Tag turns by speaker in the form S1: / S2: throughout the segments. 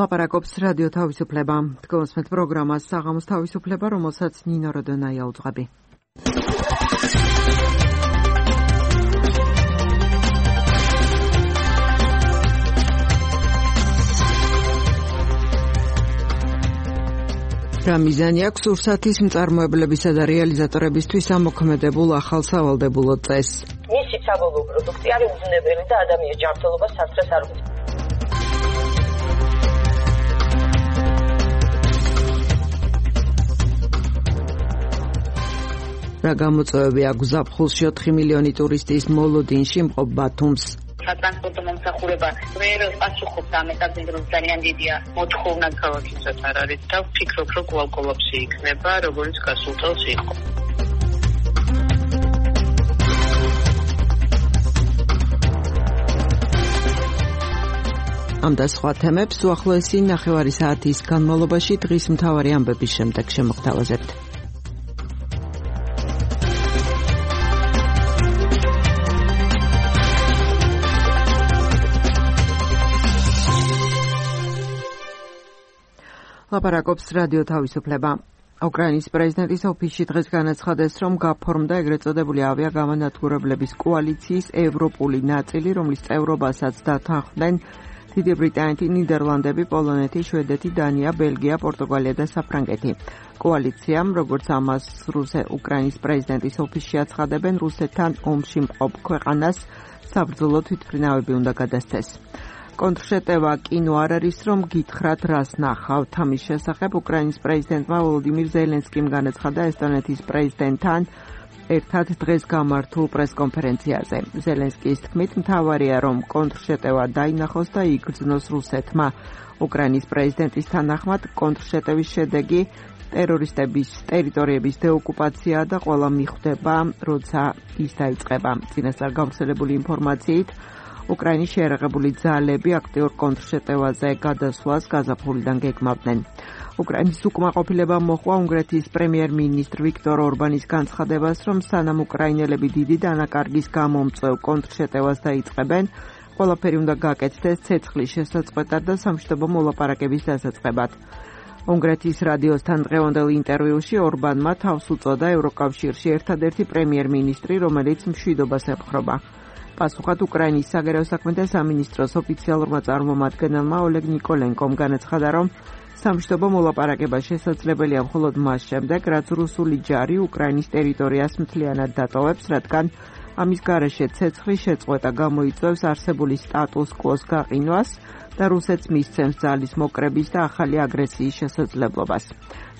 S1: ლაპარაკობს რადიო თავისუფლება. დგომსმეთ პროგრამას საღამოს თავისუფლება, რომელსაც ნინო როდონაია უძღვები. რა მიზანი აქვს ურსათის მწარმოებლებისა და რეალიზატორებისთვის ამოქმედებულ ახალ სავალდებულო წესს?
S2: მისი საბოლოო პროდუქტი არის უზნებელი და ადამიანის ჯანმრთელობას სასწრებს არ უწევს.
S1: რა გამოწვევები აქვს ზაფხულში 4 მილიონი ტურისტის მოლოდინში მყოფ ბათუმს?
S2: სატრანსპორტო მომსახურება ვერ პასუხობს ამ ეტაპზე, რომ ძალიან დიდია მოთხოვნა ქალაქისაც არ არის და ვფიქრობ, რომ კოლაპსი იქნება, როგორც გასულ წელს იყო.
S1: ამ და სხვა თემებს უახლოესი ნახევარი საათის განმავლობაში დღის მთავარი ამბების შემდეგ შემოგთავაზებთ. ლაპარაკობს რადიო თავისუფლება. უკრაინის პრეზიდენტის ოფისში დღეს განაცხადეს, რომ გაფორმდა ეგრეთ წოდებული ავიაგამანადგურებლების კოალიციის ევროპული ნაწილი, რომლის წევრობასაც დათანხმდნენ დიდი ბრიტანეთი, ნიდერლანდები, პოლონეთი, შვედეთი, დანია, ბელგია, პორტუგალია და საფრანგეთი. კოალიციამ, როგორც ამას უკრაინის პრეზიდენტის ოფისში აცხადებენ, რუსეთთან ომში მყოფ ქვეყანას საბრძოლო თვითმფრინავები უნდა გადასცეს. კონტრშეტევა კინო არ არის, რომ გითხრათ რას ნახავთ. ამის შესახებ უკრაინის პრეზიდენტმა ვოლოდიმირ ზელენსკიმ განაცხადა ესტონეთის პრეზიდენტთან ერთად დღეს გამართულ პრესკონფერენციაზე. ზელენსკის თქმით, მთავარია, რომ კონტრშეტევა დაინახოს და იგრძნოს რუსეთმა. უკრაინის პრეზიდენტის თანახმად, კონტრშეტევის შედეგი ტერორისტების ტერიტორიების დეოკუპაციაა და ყველა მიხვდება, როცა ის დაიწყება. წინასწარ გავრცელებული ინფორმაციით, უკრაინის შეიარაღებული ძალები აქტიურ კონტრშეტევაზე გადასვლას გაზაფხულიდან გეგმავდნენ. უკრაინის უკმაყოფილება მოჰყვა უნგრეთის პრემიერ-მინისტრ ვიქტორ ორბანის განცხადებას, რომ სანამ უკრაინელები დიდი დანაკარგის გამომწვევ კონტრშეტევას დაიწყებენ, ყველაფერი უნდა გაკეთდეს ცეცხლის შესაწყვეტად და სამშვიდობო მოლაპარაკების დასაწყებად. უნგრეთის რადიოსთან დღევანდელ ინტერვიუში ორბანმა თავს უწოდა ევროკავშირში ერთადერთი პრემიერ-მინისტრი, რომელიც მშვიდობას ემხრობა. პასუხად უკრაინის საგარეო საქმეთა სამინისტროს ოფიციალურმა წარმომადგენელმა ოლეგ ნიკოლენკომ განაცხადა, რომ სამშვიდობო მოლაპარაკება შესაძლებელია მხოლოდ მას შემდეგ, რაც რუსული ჯარი უკრაინის ტერიტორიას მთლიანად დატოვებს, რადგან ამის გარეშე ცეცხლის შეწყვეტა გამოიწვევს არსებული სტატუს კვოს გაყინვას და რუსეთს მისცემს ძალის მოკრების და ახალი აგრესიის შესაძლებლობას.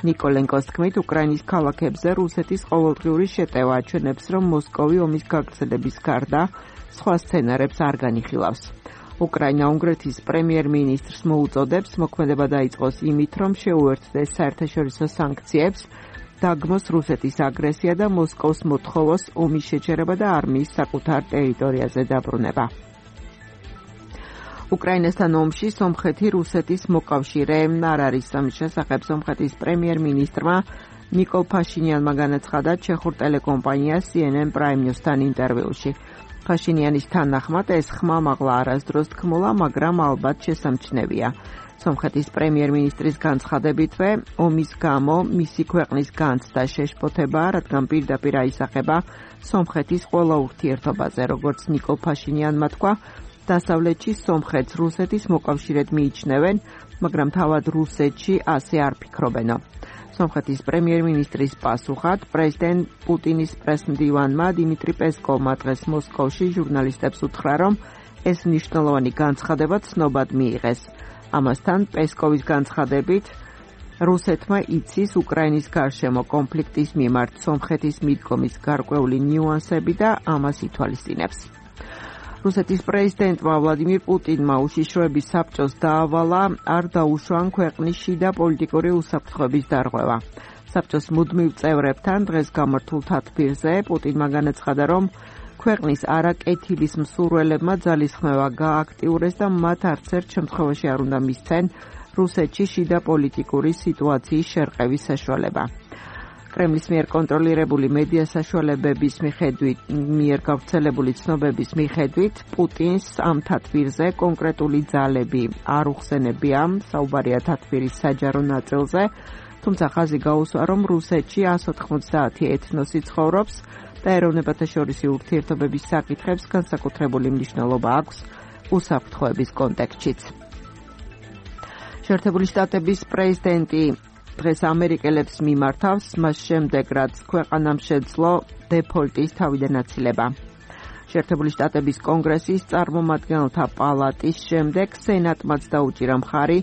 S1: ნიკოლენკოს თქმით, უკრაინის ქალაქებზე რუსეთის ყოველდღიური შეტევა აჩვენებს, რომ მოსკოვი ომის გაგრძელების გარდა სხვა სცენარებს არ განიხილავს. უკრაინა უნგრეთის პრემიერ-მინისტრს მოუწოდებს მოქმედება დაიწყოს იმით, რომ შეუერთდეს საერთაშორისო სანქციებს, დაგმოს რუსეთის აგრესია და მოსკოვს მოთხოვოს ომის შეჩერება და არმიის საკუთარ ტერიტორიაზე დაბრუნება. უკრაინასთან ომში სომხეთი რუსეთის მოკავშირე არ არის. ამის შესახებ სომხეთის პრემიერ-მინისტრმა ნიკოლ ფაშინიანმა განაცხადა ჩეხურ ტელეკომპანია CNN Prime News-თან ინტერვიუში. ფაშინიანის თანახმად ეს ხმა მაღლა არასდროს თქმულა, მაგრამ ალბათ შესამჩნევია. სომხეთის პრემიერ-მინისტრის განცხადებითვე, ომის გამო მისი ქვეყნის განცდა შეშფოთებაა, რადგან პირდაპირ აისახება სომხეთის ყველა ურთიერთობაზე, როგორც ნიკოლ ფაშინიანმა თქვა, დასავლეთში სომხეთს რუსეთის მოკავშირედ მიიჩნევენ, მაგრამ თავად რუსეთში ასე არ ფიქრობენო. სომხეთის პრემიერ-მინისტრის პასუხად, პრეზიდენტ პუტინის პრესმდივანმა დიმიტრი პესკოვმა დღეს მოსკოვში ჟურნალისტებს უთხრა, რომ ეს მნიშვნელოვანი განცხადება ცნობად მიიღეს. ამასთან პესკოვის განცხადებით, რუსეთმა იცის უკრაინის გარშემო კონფლიქტის მიმართ სომხეთის მიდგომის გარკვეული ნიუანსები და ამას ითვალისწინებს. რუსეთის პრეზიდენტმა ვლადიმირ პუტინმა უშიშროების საბჭოს დაავალა არ დაუშვან ქვეყნის შიდა პოლიტიკური უსაფრთხოების დარღვევა. საბჭოს მუდმივ წევრებთან დღეს გამართულ თათბირზე პუტინმა განაცხადა, რომ ქვეყნის არაკეთილის მსურველებმა ძალისხმევა გააქტიურეს და მათ არც ერთ შემთხვევაში არ უნდა მისცენ რუსეთში შიდა პოლიტიკური სიტუაციის შერყევის საშუალება. კრემლის მიერ კონტროლირებული მედია საშუალებების მიერ გავრცელებული ცნობების მიხედვით პუტინს ამ თათბირზე კონკრეტული ძალები არ უხსენებია, საუბარია თათბირის საჯარო ნაწილზე, თუმცა ხაზი გაუსვა, რომ რუსეთში 190 ეთნოსი ცხოვრობს და ეროვნებათა შორისი ურთიერთობების საკითხებს განსაკუთრებული მნიშვნელობა აქვს უსაფრთხოების კონტექსტშიც. შეერთებული შტატების პრეზიდენტი დღეს ამერიკელებს მიმართავს, მას შემდეგ, რაც ქვეყანამ შეძლო დეფოლტის თავიდან აცილება. შეერთებული შტატების კონგრესის წარმომადგენელთა პალატის შემდეგ სენატმაც დაუჭირა მხარი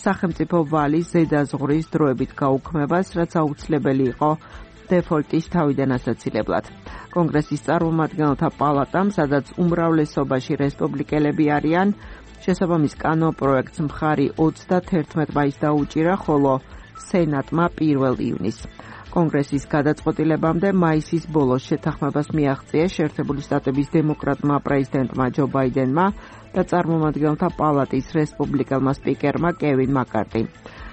S1: სახელმწიფო ვალის ზედაზღვრის დროებით გაუქმებას, რაც აუცილებელი იყო დეფოლტის თავიდან ასაცილებლად. კონგრესის წარმომადგენელთა პალატამ, სადაც უმრავლესობაში რესპუბლიკელები არიან, შესაბამის კანონპროექტს მხარი 31 მაისს დაუჭირა, ხოლო სენატმა 1 ივნისს. კონგრესის გადაწყვეტილებამდე მაისის ბოლოს შეთანხმებას მიაღწიეს შეერთებული შტატების დემოკრატმა პრეზიდენტმა ჯო ბაიდენმა და წარმომადგენელთა პალატის რესპუბლიკელმა სპიკერმა კევინ მაკარტიმ.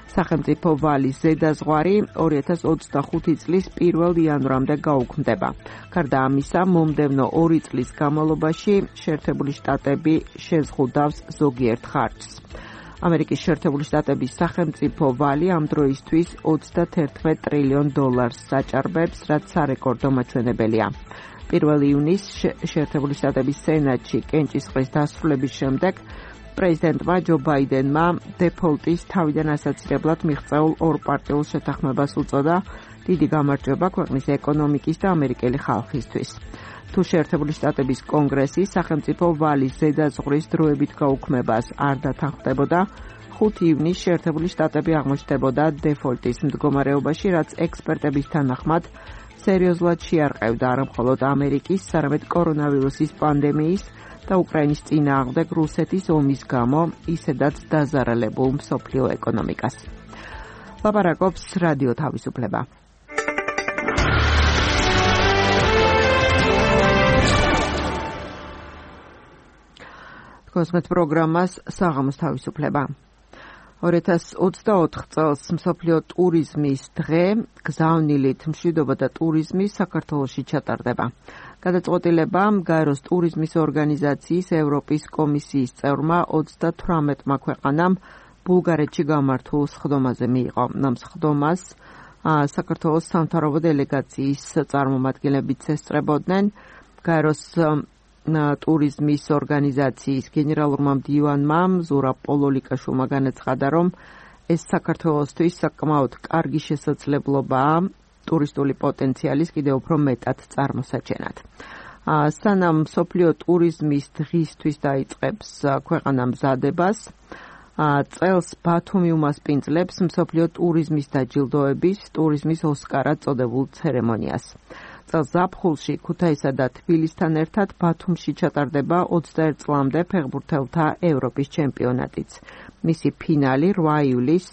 S1: სახელმწიფო ვალის ზედაზღვარი 2025 წლის 1 იანვრამდე გაუქმდება. გარდა ამისა, მომდევნო 2 წლის განმავლობაში შეერთებული შტატები შეზღუდავს ზოგიერთ ხარჯს. ამერიკის შეერთებული შტატების სახელმწიფო ვალი ამ დროისთვის $31 ტრილიონ საჭარბებს, რაც სარეკორდო მაჩვენებელია. 1 ივნისს შეერთებული შტატების სენატში კენჭისყრის დასრულების შემდეგ პრეზიდენტმა ჯო ბაიდენმა დეფოლტის თავიდან ასაცილებლად მიღწეულ ორპარტიულ შეთანხმებას უწოდა დიდი გამარჯვება ქვეყნის ეკონომიკის და ამერიკელი ხალხისთვის. თუ შეერთებული შტატების კონგრესი სახელმწიფო ვალის ზედაზღვრის დროებით გაუქმებას არ დათანხმდებოდა, 5 ივნისს შეერთებული შტატები აღმოჩნდებოდა დეფოლტის მდგომარეობაში, რაც ექსპერტების თანახმად სერიოზულად შეარყევდა არა მხოლოდ ამერიკის, არამედ კორონავირუსის პანდემიის და უკრაინის წინააღმდეგ რუსეთის ომის გამო ისედაც დაზარალებულ მსოფლიო ეკონომიკას. ლაპარაკობს რადიო თავისუფლება. კოსმეთ პროგრამას საღამოს თავისუფლება. 2024 წელს მსოფლიო ტურიზმის დღე გზავნილით მშვიდობა და ტურიზმი საქართველოში ჩატარდება. გადაწყვეტილება გაეროს ტურიზმის ორგანიზაციის ევროპის კომისიის წევრმა 38 ქვეყანამ ბულგარეთში გამართულ სხდომაზე მიიღო. ამ სხდომას საქართველოს სამთავრობო დელეგაციის წარმომადგენლებიც ესწრებოდნენ. გაეროს ტურიზმის ორგანიზაციის გენერალურმა მდივანმა ზურაბ პოლოლიკაშვილმა განაცხადა, რომ ეს საქართველოსთვის საკმაოდ კარგი შესაძლებლობაა ტურისტული პოტენციალის კიდევ უფრო მეტად წარმოსაჩენად. სანამ მსოფლიო ტურიზმის დღისთვის დაიწყებს ქვეყანა მზადებას, წელს ბათუმი უმასპინძლებს მსოფლიო ტურიზმის დაჯილდოების ტურიზმის ოსკარად წოდებულ ცერემონიას. წელს ზაფხულში ქუთაისსა და თბილისთან ერთად ბათუმში ჩატარდება 21 წლამდე ფეხბურთელთა ევროპის ჩემპიონატიც. მისი ფინალი 8 ივლისს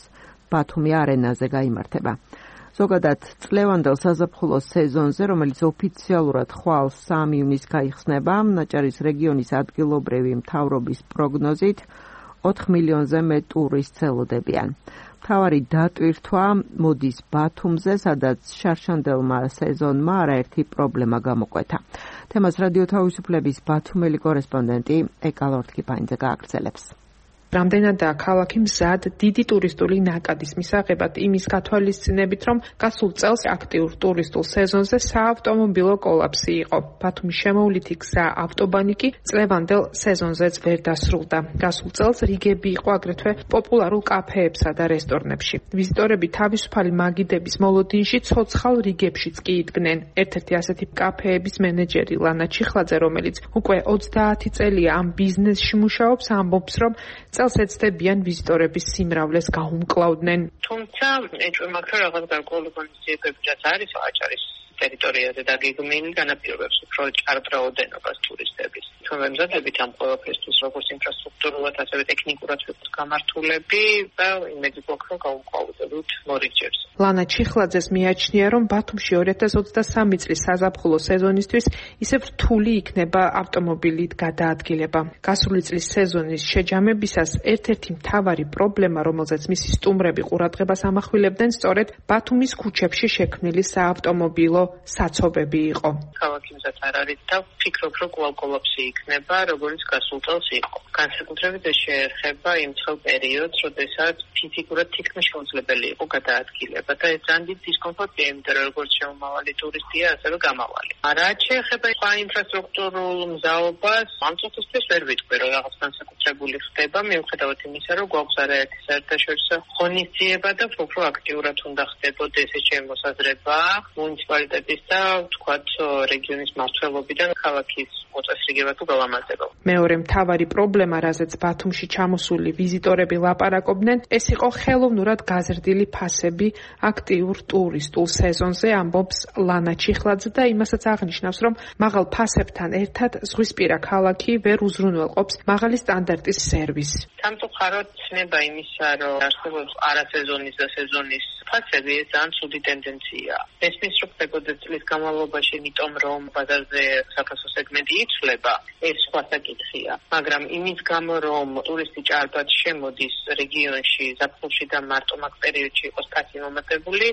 S1: ბათუმი არენაზე გაიმართება. ზოგადად წლევანდელ საზაფხულო სეზონზე, რომელიც ოფიციალურად ხვალ 3 ივნისს გაიხსნება, ნაჭარის რეგიონის ადგილობრივი მთავრობის პროგნოზით 4 მილიონზე მეტ ტურისტს ელოდებიან. მთავარი დატვირთვა მოდის ბათუმზე, სადაც შარშანდელმა სეზონმა არაერთი პრობლემა გამოკვეთა. თემას რადიო თავისუფლების ბათუმელი კორესპონდენტი ეკალორთკიფანიძე გააგრძელებს.
S3: რამდენადაა ქალაქი მზად დიდი ტურისტული ნაკადის მისაღებად იმის გათვალისწინებით, რომ გასულ წელს აქტიურ ტურისტულ სეზონზე საავტომობილო კოლაფსი იყო. ბათუმის შემოვლითი გზა ავტობანი კი წლევანდელ სეზონზეც ვერ დასრულდა. გასულ წელს რიგები იყო აგრეთვე პოპულარულ კაფეებსა და რესტორნებში. ვიზიტორები თავისუფალი მაგიდების მოლოდინში ცოცხალ რიგებშიც კი იდგნენ. ერთ-ერთი ასეთი კაფეების მენეჯერი ლანა ჩიხლაძე, რომელიც უკვე 30 წელია ამ ბიზნესში მუშაობს, ამბობს, რომ წელს ეცდებიან ვიზიტორების სიმრავლეს გაუმკლავდნენ.
S2: თუმცა ეჭვი მაქვს, რომ რაღაც გარკვეული ღონისძიებები რაც არის აჭარის ტერიტორიაზე დაგეგმილი განაპირობებს უფრო ჭარბ რაოდენობას ტურისტების. ჩვენ ვემზადებით ამ ყველაფერთვის, როგორც ინფრასტრუქტურულად, ასევე ტექნიკურად ვიყოთ გამართულები და იმედი გვაქვს, რომ გავუყავდებით მორიგჯერს.
S3: ლანა ჩიხლაძეს მიაჩნია, რომ ბათუმში 2023 წლის საზაფხულო სეზონისთვის ისევ რთული იქნება ავტომობილით გადაადგილება. გასული წლის სეზონის შეჯამებისას ერთ-ერთი მთავარი პრობლემა, რომელზეც მისი სტუმრები ყურადღებას ამახვილებდნენ, სწორედ ბათუმის ქუჩებში შექმნილი საავტომობილო საცობები იყო.
S2: ქალაქი მზად არ არის და ვფიქრობ, რომ კვლავ კოლაფსი იქნება, როგორც გასულ წელს იყო. განსაკუთრებით ეს შეეხება იმ წელ პერიოდს, როდესაც ფიზიკურად თითქმის შეუძლებელი იყო გადაადგილება და ეს ძალიან დიდი დისკომფორტია, იმიტომ რომ როგორც შემომავალი ტურისტია, ასევე გამავალი. რაც შეეხება ინფრასტრუქტურულ მზაობას, ამ წუთისთვის ვერ ვიტყვი, რომ რაღაც განსაკუთრებული ხდება, მიუხედავად იმისა, რომ გვაქვს არაერთი საერთაშორისო ღონისძიება და უფრო აქტიურად უნდა ხდებოდეს ეს შემოსაზრება მუნიციპალიტეტის და თქვათ რეგიონის მმართველობიდან ქალაქის მოწესრიგება თუ გალამაზება.
S3: მეორე მთავარი პრობლემა, რაზეც ბათუმში ჩამოსული ვიზიტორები ლაპარაკობდნენ, ეს იყო ხელოვნურად გაზრდილი ფასები აქტიურ ტურისტულ სეზონზე, ამბობს ლანა ჩიხლაძე და იმასაც აღნიშნავს, რომ მაღალ ფასებთან ერთად ზღვისპირა ქალაქი ვერ უზრუნველყოფს მაღალი სტანდარტის სერვისს.
S2: სამწუხაროდ ცნება იმისა, რომ არსებობს არასეზონის და სეზონის ფასები, ეს ძალიან ცუდი ტენდენციაა. მესმის რომ ხდებოდა წლის განმავლობაში, იმიტომ რომ ბაზარზე საფასო სეგმენტი იცვლება, ეს სხვა საკითხია. მაგრამ იმის გამო, რომ ტურისტი ჭარბად შემოდის რეგიონში, ზაფხულში და მარტო მაგ პერიოდში იყოს ფასი მომატებული,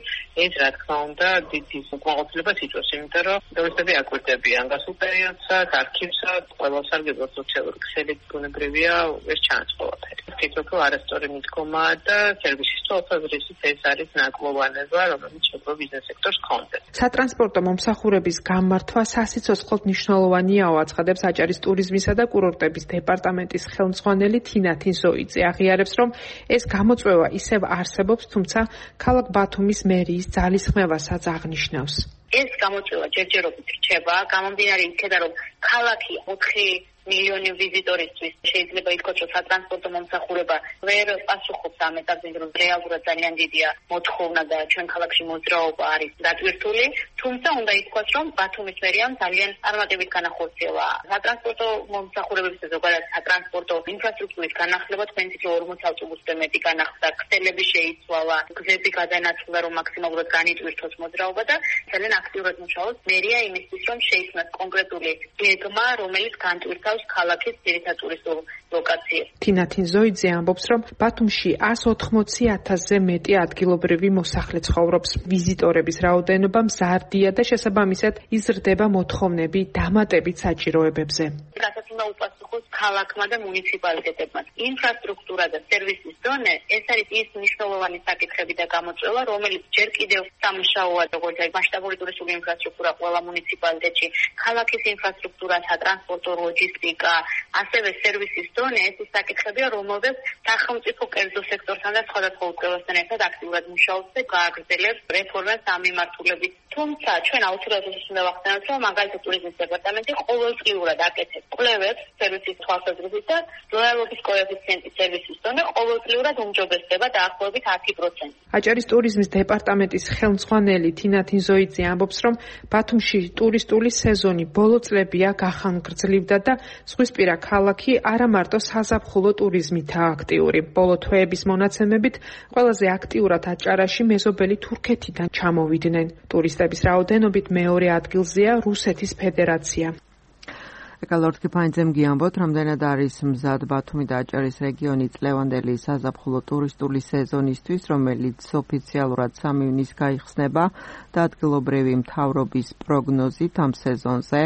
S2: ეს რა თქმა უნდა დიდი უკმაყოფილებას იწვევს, იმიტომ რომ ტურისტები აკვირდებიან გასულ პერიოდსაც, არქივსაც, ყველა სარგებლო სოციალური ქსელი ბუნებრივია ეს ჩანაცვლყველაფერი. ვფიქრობ, რომ არასწორი მიდგომაა და სერვისის თვალსაზრისით ეს არის ნაკლოვანება, რომელიც შეგვიძლია ბიზნეს სექტორს ჰქონდეს.
S3: სატრანსპორტო მომსახურების გამართვა სასიცოცხლოდ მნიშვნელოვანია, აცხადებს აჭარის ტურიზმისა და კურორტების დეპარტამენტის ხელმძღვანელი თინა თინზოიძე. აღიარებს, რომ ეს გამოწვევა ისევ არსებობს, თუმცა ქალაქ ბათუმის მერიის ძალისხმევასაც აღნიშნავს.
S2: ეს გამოწვევა ჯერჯერობით რჩება, გამომდინარე იქედან, რომ ქალაქი 4 მილიონი ვიზიტორისთვის შეიძლება ითქვას, რომ სატრანსპორტო მომსახურება ვერ პასუხობს ამ ეტაპზე, რომ რეალურად ძალიან დიდია მოთხოვნა და ჩვენ ქალაქში მოძრაობა არის დატვირთული, თუმცა უნდა ითქვას, რომ ბათუმის მერიამ ძალიან წარმატებით განახორციელა სატრანსპორტო მომსახურებების და ზოგადად სატრანსპორტო ინფრასტრუქტურის განახლება, თქვენით რომ 40 ავტობუსზე მეტი განახლდა, ქსელები შეიცვალა, გზები გადანაცვლა, რომ მაქსიმალურად განიტვირთოს მოძრაობა და ძალიან აქტიურად მუშაობს მერია იმისთვის, რომ შეიქმნას კონკრეტული გეგმა, რომელიც განტვირთავს ქალაქის ძირითად ტურისტულ ლოკაციებს.
S3: თინა თინზოიძე ამბობს, რომ ბათუმში 180,000-ზე მეტი ადგილობრივი მოსახლე ცხოვრობს. ვიზიტორების რაოდენობა მზარდია და შესაბამისად იზრდება მოთხოვნები დამატებით საჭიროებებზე.
S2: რასაც უნდა უპასუხოს ქალაქმა და მუნიციპალიტეტებმა. ინფრასტრუქტურა და სერვისის დონე ეს არის ის მნიშვნელოვანი საკითხები და გამოწვევა, რომელიც ჯერ კიდევ სამუშაოა, როგორც მასშტაბური ტურისტული ინფრასტრუქტურა ყველა მუნიციპალიტეტში, ქალაქის ინფრასტრუქტურა, სატრანსპორტო, ლოჯისტიკა, ასევე სერვისის დონე, ეს ის საკითხებია, რომელზეც სახელმწიფო კერძო სექტორთან და სხვადასხვა უწყებასთან ერთად აქტიურად მუშაობს და გააგრძელებს რეფორმას ამ მიმართულებით. თუმცა ჩვენ აუცილებლად უნდა ვახსენოთ, რომ მაგალითად ტურიზმის დეპარტამენტი ყოველწლიურად აკეთებს კვლევებს სერვისის თვალსაზრისით და ლოიალობის კოეფიციენტის სერვისის დონე ყოველწლიურად უმჯობესდება დაახლოებით 10%.
S3: აჭარის ტურიზმის დეპარტამენტის ხელმძღვანელი თინა თინზოიძე ამბობს, რომ ბათუმში ტურისტული სეზონი ბოლო წლებია გახანგრძლივდა და ზღვისპირა ქალაქი არა მარტო საზაფხულო ტურიზმითაა აქტიური. ბოლო თვეების მონაცემებით ყველაზე აქტიურად აჭარაში მეზობელი თურქეთიდან ჩამოვიდნენ. ტურისტების რაოდენობით მეორე ადგილზეა რუსეთის ფედერაცია.
S1: ეკალორდ კიფაინძემ გიამბოთ, რამდენად არის მზად ბათუმი და აჭარის რეგიონი წლევანდელი საზაფხულო ტურისტული სეზონისთვის, რომელიც ოფიციალურად 3 ივნისს გაიხსნება და ადგილობრივი მთავრობის პროგნოზით ამ სეზონზე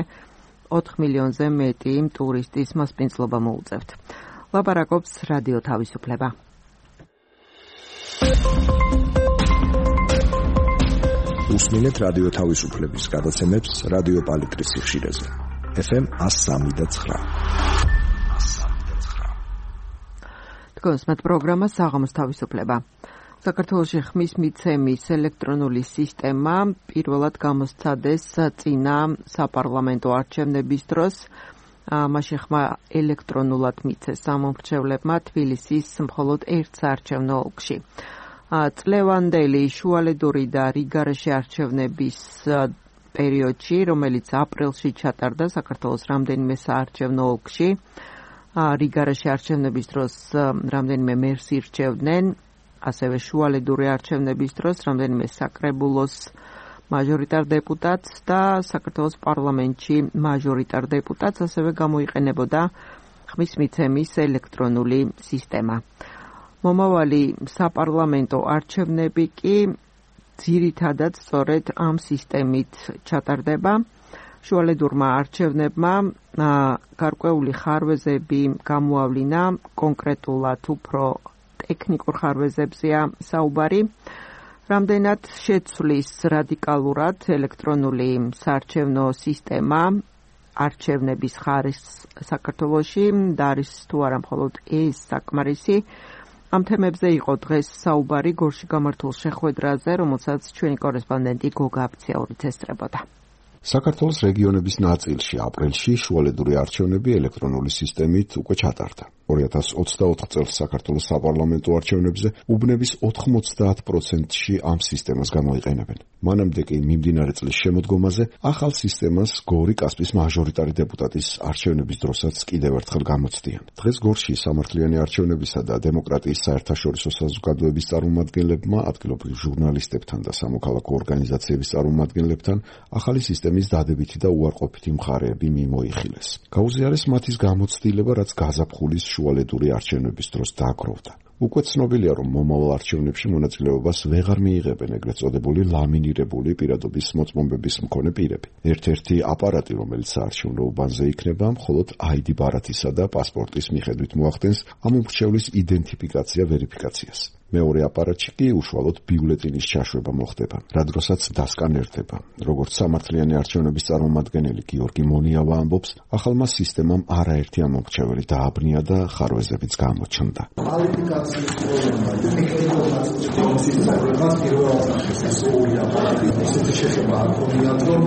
S1: 4 მილიონზე მეტი ტურისტის მასპინძლობა მოუწევთ. ლაპარაკობს რადიო თავისუფლება.
S4: უსმინეთ რადიო თავისუფლების გადაცემებს რადიო პალიტრის სიხშირეზე. FM 103.9.
S1: თქვენს მათ პროგრამა საღამოს თავისუფლება. საქართველოში ხმის მიცემის ელექტრონული სისტემა პირველად გამოსცადეს წინა საპარლამენტო არჩევნების დროს. მაშინ ხმა ელექტრონულად მიცეს სამომრჩევლებმა თბილისის მხოლოდ ერთ საარჩევნო ოლქში. წლევანდელი შუალედური და რიგარეში არჩევნების პერიოდში, რომელიც აპრილში ჩატარდა საქართველოს რამდენიმე საარჩევნო ოლქში. რიგარაში არჩევნების დროს რამდენიმე მერს ირჩევდნენ, ასევე შუალედური არჩევნების დროს რამდენიმე საკრებულოს მაჟორიტარ დეპუტატს და საქართველოს პარლამენტში მაჟორიტარ დეპუტატს, ასევე გამოიყენებოდა ხმის მიცემის ელექტრონული სისტემა. მომავალი საპარლამენტო არჩევნები კი ძირითადად სწორედ ამ სისტემით ჩატარდება. შუალედურმა არჩევნებმა გარკვეული ხარვეზები გამოავლინა, კონკრეტულად უფრო ტექნიკურ ხარვეზებზეა საუბარი. რამდენად შეცვლის რადიკალურად ელექტრონული საარჩევნო სისტემა არჩევნების ხარისხს საქართველოში და არის თუ არა მხოლოდ ეს საკმარისი. ამ თემებზე იყო დღეს საუბარი გორში გამართულ შეხვედრაზე, რომელსაც ჩვენი კორესპონდენტი გოგა აბციაურიც ესწრებოდა.
S5: საქართველოს რეგიონების ნაწილში აპრილში შუალედური არჩევნები ელექტრონული სისტემით უკვე ჩატარდა. 2024 წელს საქართველოს საპარლამენტო არჩევნებზე უბნების 90%-ში ამ სისტემას გამოიყენებენ. მანამდე კი მიმდინარე წლის შემოდგომაზე ახალ სისტემას გორი კასპის მაჟორიტარი დეპუტატის არჩევნების დროსაც კიდევ ერთხელ გამოცდიან. დღეს გორში სამართლიანი არჩევნებისა და დემოკრატიის საერთაშორისო საზოგადოების წარმომადგენლებმა, ადგილობრივ ჟურნალისტებთან და სამოქალაქო ორგანიზაციების წარმომადგენლებთან ახალი სისტემის დადებითი და უარყოფითი მხარეები მიმოიხილეს. გაუზიარეს მათის გამოცდილება, რაც გაზაფხულის შუალედური არჩევნების დროს დააგროვდა. უკვე ცნობილია, რომ მომავალ არჩევნებში მონაწილეობას ვეღარ მიიღებენ ეგრეთ წოდებული ლამინირებული პირადობის მოწმობების მქონე პირები. ერთ-ერთი აპარატი, რომელიც საარჩევნო უბანზე იქნება, მხოლოდ ID ბარათისა და პასპორტის მიხედვით მოახდენს ამ უმრჩევლის იდენტიფიკაცია ვერიფიკაციას. მეორე აპარატში კი უშუალოდ ბიულეტინის ჩაშვება მოხდება, რა დროსაც დასკანერდება. როგორც სამართლიანი არჩევნების წარმომადგენელი გიორგი მონიავა ამბობს, ახალმა სისტემამ არაერთი ამომრჩეველი დააბნია და ხარვეზებიც გამოჩნდა.
S6: კვალიფიკაციის პრობლემა, ტექნიკურად სისტემას პირველად შესაძლოა აპარატი, ისეთი შეხება არ ქონიათ, რომ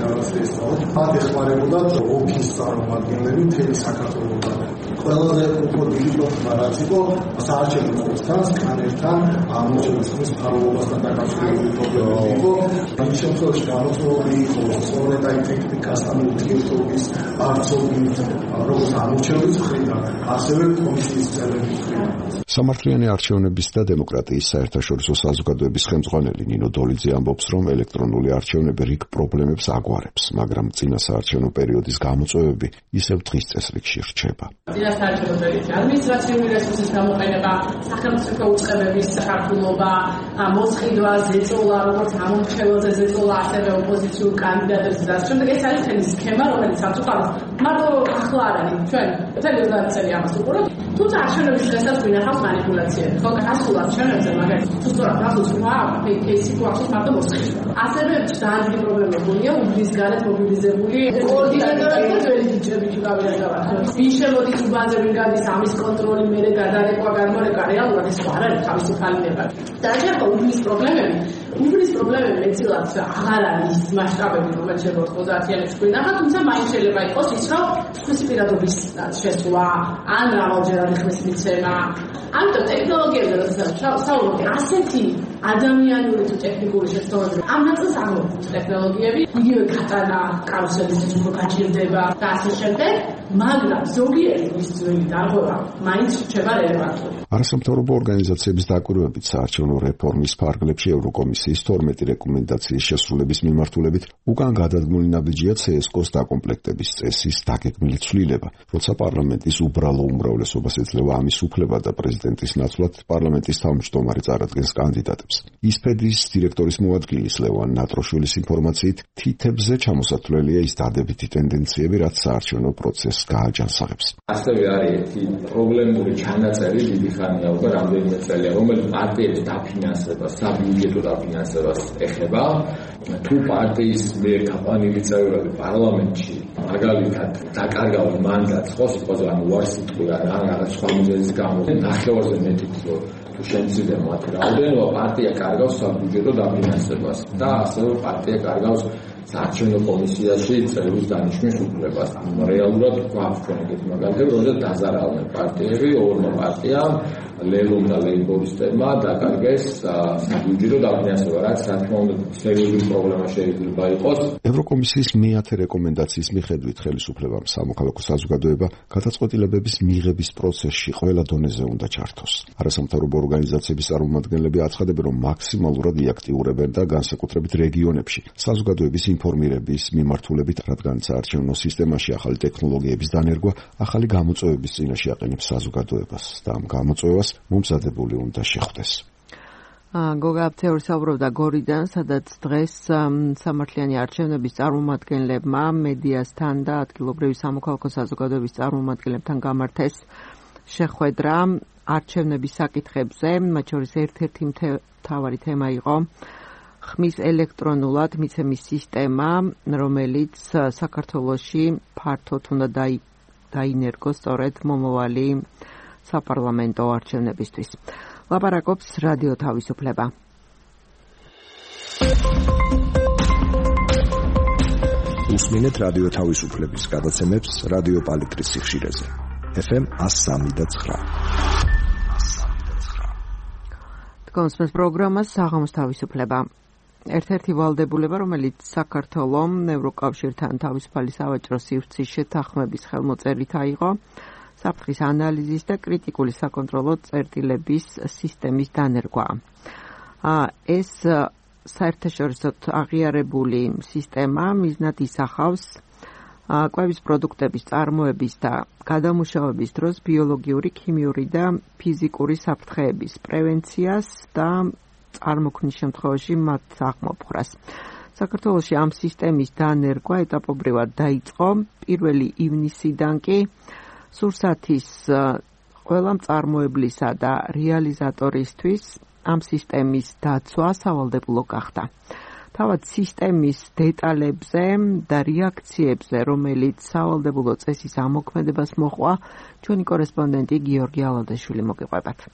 S6: რაღაც ესწავლოთ. მათ ეხმარებოდათ ოფის წარმომადგენლები მთელი საქართველოსთან. ყველაზე უფრო დიდი პრობლემა რაც იყო საარჩევნო ყოფასთან, სკანერთან, ამოწმების ხმის მფარველობასთან დაკავშირებული პრობლემა იყო. ამ შემთხვევაში გამოწვეული იყო სწორედ აი ტექნიკასთან ურთიერთობის არცობით, როგორც ამორჩევის მხრიდან, ასევე კომისიის წევრების მხრიდან.
S5: სამართლიანი არჩევნების და დემოკრატიის საერთაშორისო საზოგადოების ხელმძღვანელი ნინო დოლიძე ამბობს, რომ ელექტრონული არჩევნები რიგ პრობლემებს აგვარებს, მაგრამ წინა საარჩევნო პერიოდის გამოწვევები ისევ დღის წესრიგში რჩება.
S7: წინა საარჩევნო პერიოდში ადმინისტრაციული რესურსის გამოყენება, სახელმწიფო უწყებების საქართველობა, მოსყიდვა, ზეწოლა, როგორც ამორჩეველზე ზეწოლა, ასევე ოპოზიციურ კანდიდატებს და შემდეგ ეს არის თემის სქემა, რომელიც სამწუხაროდ მარტო ახლა არ არის. ჩვენ მთელი 30 წელი ამას უყურებთ. თუმცა არჩევნების დღესაც გვინახავს манипуляციები. ხო, გასულ არჩევნებზე მაგალითად თუ სწორად გასულმა кейსი გვახსოვს მარტო მოსყიდვა. ასევე ძალიან დიდი პრობლემა გონია უბნის გარეთ მობილიზებული კოორდინატორები და ძველი ჯიჭები გავიაზავართ. ვინ შემოდის უბანზე, ვინ გადის, ამის კონტროლი, მერე გადარეკვა, გამორეკვა, რეალურად ეს არ არის თავისუფალი ნება. და ახლა უბნის პრობლემები მეტილად აღარ არის მასშტაბები, რომელიც შეიძლება 90-იანებში გვინახა, თუმცა მაინც შეიძლება იყოს ის, რომ ხმის პირადობის შესვლა, ან რამოდენიმე ხმის მიცემა. ამიტომ ტექნოლოგიებზე როდესაც საუბრობთ, ასეთი ადამიანური თუ ტექნიკური შეცდომები, ამ ნაწილს აღმოჩნდა ტექნოლოგიები, იგივე გატანა კარუსელის უფრო გაჭირდება და ასე შემდეგ, მაგრამ ზოგიერთი ის ძველი დარღვევა მაინც რჩება რელევანტური.
S5: არასამთავრობო ორგანიზაციების დაკვირვებით საარჩევნო რეფორმის ფარგლებში ევროკომისიის 12 რეკომენდაციის შესრულების მიმართულებით უკან გადადგმული ნაბიჯია CSKO-ს დაკომპლექტების წესის დაგეგმილი ცვლილება, როცა პარლამენტის უბრალო უმრავლესობას ეძლევა ამის უფლება და პრეზიდენტის ნაცვლად პარლამენტის თავმჯდომარე წარადგენს კანდიდატებს. ისფედის დირექტორის მოადგილის ლევან ნატროშვილის ინფორმაციით, თითებზე ჩამოსათვლელია ის დადებითი ტენდენციები, რაც საარჩევნო პროცესს გააჯანსაღებს.
S8: ასევე არის ერთი პრობლემური ჩანაწერი დიდი ხანია უკვე რამდენიმე წელია, რომელიც პარტიების დაფინანსებას, საბიუჯეტო დაფინანსებას ეხება. თუ პარტიის მიერ გაყვანილი წევრები პარლამენტში მაგალითად დაკარგავენ მანდატს, ხო სიტყვაზე ან უარსიტყვიან, ან რაღაც სხვა მიზეზის გამო ნახევარზე მეტი თუ შემცირდა მათი რაოდენობა, პარტია კარგავს საბიუჯეტო დაფინანსებას და ასევე პარტია კარგავს საარჩევნო კომისიაში წევრის დანიშვნის უფლებას. რეალურად გვაქვს ჩვენ ეგეთი მაგალითები, როდესაც დაზარალდნენ პარტიები, ორმა პარტიამ, ლელომ და ლეიბორისტებმა დაკარგეს საბიუჯეტო დაფინანსება, რაც რა თქმა უნდა სერიოზული პრობლემა შეიძლება იყოს.
S5: ევროკომისიის მე-10 რეკომენდაციის მიხედვით ხელისუფლებამ სამოქალაქო საზოგადოება გადაწყვეტილებების მიღების პროცესში ყველა დონეზე უნდა ჩართოს. არასამთავრობო ორგანიზაციების წარმომადგენლები აცხადებენ, რომ მაქსიმალურად იაქტიურებენ და განსაკუთრებით რეგიონებში საზოგადოების ინფორმირების მიმართულებით, რადგან საარჩევნო სისტემაში ახალი ტექნოლოგიების დანერგვა ახალი გამოწვევების წინაშე აყენებს საზოგადოებას და ამ გამოწვევას მომზადებული უნდა შეხვდეს.
S1: გოგა აფთეური საუბრობდა გორიდან, სადაც დღეს სამართლიანი არჩევნების წარმომადგენლებმა მედიასთან და ადგილობრივი სამოქალაქო საზოგადოების წარმომადგენლებთან გამართეს შეხვედრა არჩევნების საკითხებზე, მათ შორის ერთ-ერთი მთავარი თემა იყო ხმის ელექტრონულად მიცემის სისტემა, რომელიც საქართველოში ფართოდ უნდა დაინერგოს სწორედ მომავალი საპარლამენტო არჩევნებისთვის. ლაპარაკობს რადიო თავისუფლება.
S4: უსმინეთ რადიო თავისუფლების გადაცემებს რადიო პალიტრის სიხშირეზე. FM 103.9.
S1: თქვენს პროგრამას საღამოს თავისუფლება. ერთ-ერთი ვალდებულება, რომელიც საქართველომ ევროკავშირთან თავისუფალი სავაჭრო სივრცის შეთანხმების ხელმოწერით აიღო, საფრთხის ანალიზის და კრიტიკული საკონტროლო წერტილების სისტემის დანერგვა. ეს საერთაშორისოდ აღიარებული სისტემა მიზნად ისახავს კვების პროდუქტების წარმოების და გადამუშავების დროს ბიოლოგიური, ქიმიური და ფიზიკური საფრთხეების პრევენციას და წარმოქმნის შემთხვევაში მათ აღმოფხვრას. საქართველოში ამ სისტემის დანერგვა ეტაპობრივად დაიწყო 1 ივნისიდან კი სურსათის ყველა მწარმოებლისა და რეალიზატორისთვის ამ სისტემის დაცვა სავალდებულო გახდა. თავად სისტემის დეტალებზე და რეაქციებზე, რომელიც სავალდებულო წესის ამოქმედებას მოჰყვა, ჩვენი კორესპონდენტი გიორგი ალადაშვილი მოგიყვებათ.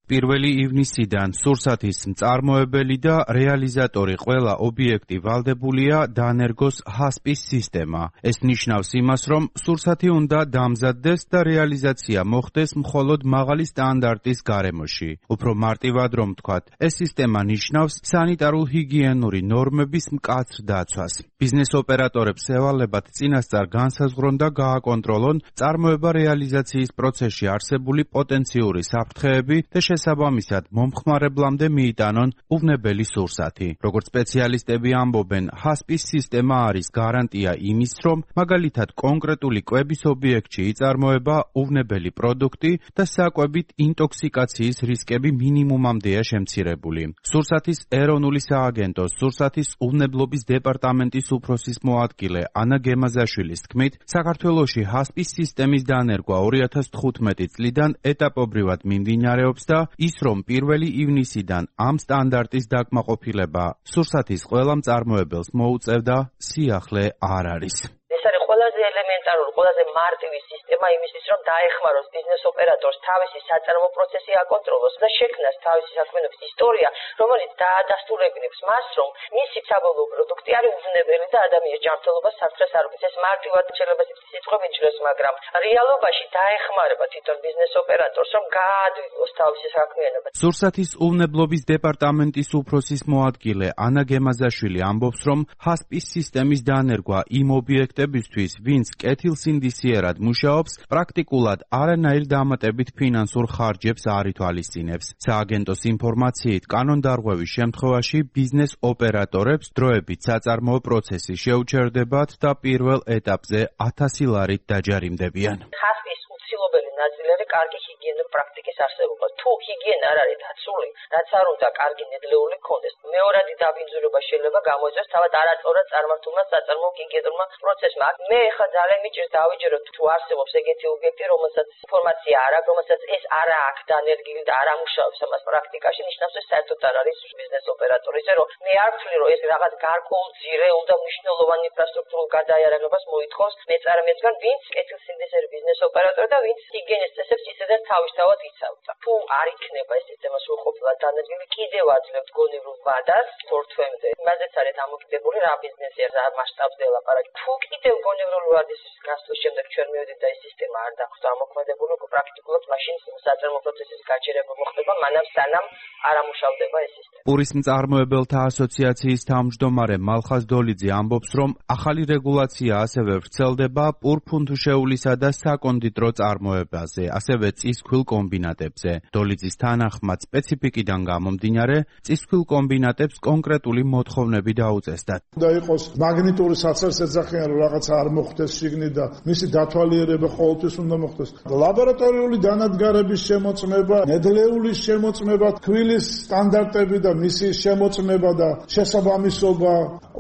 S9: 1 ივნისიდან სურსათის მწარმოებელი და რეალიზატორი ყველა ობიექტი ვალდებულია დაანერგოს ჰასპის სისტემა. ეს ნიშნავს იმას, რომ სურსათი უნდა დამზადდეს და რეალიზაცია მოხდეს მხოლოდ მაღალი სტანდარტის გარემოში. უფრო მარტივად რომ ვთქვათ, ეს სისტემა ნიშნავს სანიტარულ-ჰიგიენური ნორმების მკაცრ დაცვას. ბიზნეს ოპერატორებს ევალებათ წინასწარ განსაზღვრონ და გააკონტროლონ წარმოება რეალიზაციის პროცესში არსებული პოტენციური საფრთხეები და შესაბამისად მომხმარებლამდე მიიტანონ უვნებელი სურსათი. როგორც სპეციალისტები ამბობენ, ჰასპის სისტემა არის გარანტია იმის, რომ მაგალითად კონკრეტული კვების ობიექტში იწარმოება უვნებელი პროდუქტი და საკვებით ინტოქსიკაციის რისკები მინიმუმამდეა შემცირებული. სურსათის ეროვნული სააგენტოს სურსათის უვნებლობის დეპარტამენტის უფროსის მოადგილე ანა გემაზაშვილის თქმით, საქართველოში ჰასპის სისტემის დანერგვა 2015 წლიდან ეტაპობრივად მიმდინარეობს და ის რომ 1 ივნისიდან ამ სტანდარტის დაკმაყოფილება სურსათის ყველა მწარმოებელს მოუწევდა, სიახლე არ არის.
S10: ეს არის ყველაზე ელემენტარული, ყველაზე მარტივი სისტემა იმისთვის, რომ დაეხმაროს ბიზნეს ოპერატორს თავისი საწარმო პროცესი აკონტროლოს და შექმნას თავისი საქმიანობის ისტორია, რომელიც დაადასტურებინებს მას, რომ მისი საბოლოო პროდუქტი არის უვნებელი და ადამიანის ჯანმრთელობას საფრთხეს არ უქმნის. ეს მარტივად შეიძლება სიტყვებით ჟღერს, მაგრამ რეალობაში დაეხმარება თვითონ ბიზნეს ოპერატორს, რომ გაადვილოს თავისი საქმიანობა.
S9: სურსათის უვნებლობის დეპარტამენტის უფროსის მოადგილე ანა გემაზაშვილი ამბობს, რომ ჰასპის სისტემის დანერგვა იმ ობიექტებისთვის, ვინც კეთილსინდისიერად მუშაობს, პრაქტიკულად არანაირ დამატებით ფინანსურ ხარჯებს არ ითვალისწინებს. სააგენტოს ინფორმაციით, კანონდარღვევის შემთხვევაში ბიზნეს ოპერატორებს დროებით საწარმოო პროცესი შეუჩერდებათ და პირველ ეტაპზე 1000 ლარით დაჯარიმდებიან.
S10: ჰასპის უცილობელი ნაწილი კარგი ჰიგიენური პრაქტიკის არსებობა. თუ ჰიგიენა არ არის დაცული, რაც არ უნდა კარგი ნედლეული ქონდეს, მეორადი დაბინძურება შეიძლება გამოიწვიოს თავად არაწორად წარმართულმა საწარმოო ჰიგიენურმა პროცესმა. მე ხა ძალიან მიჭირს დავიჯეროთ, თუ არსებობს ეგეთი ობიექტი, რომელსაც ინფორმაცია არ აქვს, რომელსაც ეს არ აქვს დანერგილი და არ ამუშავებს ამას პრაქტიკაში, ნიშნავს ეს საერთოდ არ არის ბიზნეს ოპერატორი. ისე რომ მე არ ვთვლი, რომ ეს რაღაც გარკვეულ ძირეულ და მნიშვნელოვან ინფრასტრუქტურულ გადაიარაღებას მოითხოვს მეწარმეებისგან, ვინც კეთილსინდისიერი ბიზნეს ოპერატორი და ვინც ჰიგიენის წესებს ისედაც თავისთავად იცავდა. თუ არ იქნება ეს სისტემა სრულყოფილად დანერგილი, კიდევ აძლევთ გონივრულ ვადას თორთვემდე. იმაზეც არის დამოკიდებული რა ბიზნესია, რა მასშტაბზე ელაპარაკი. თუ კიდევ გონივრული ვადის გასვლის შემდეგ ჩვენ მივედით და ეს სისტემა არ დახვდა ამოქმედებული, უკვე პრაქტიკულად მაშინ საწარმო პროცესის გაჩერება მოხდება, მანამ სანამ არ ამუშავდება ეს სისტემა.
S9: პურის მწარმოებელთა ასოციაციის თავმჯდომარე მალხაზ დოლიძე ამბობს, რომ ახალი რეგულაცია ასევე ვრცელდება პურფუნთუშეულისა და საკონდიტრო წარმოებაზე, ასევე წისქვილ კომბინატებზე. დოლიძის თანახმად სპეციფიკიდან გამომდინარე, წისქვილ კომბინატებს კონკრეტული მოთხოვნები დაუწესდათ.
S6: უნდა იყოს მაგნიტური საცერსეძახიან, რომ რაღაცა არ მოხდეს შიგნით და მისი დათვალიერება ყოველთვის უნდა მოხდეს. ლაბორატორიული დანადგარების შემოწმება, ნედლეულის შემოწმება, თბილის სტანდარტები და მისი შემოწმება და შესაბამისობა.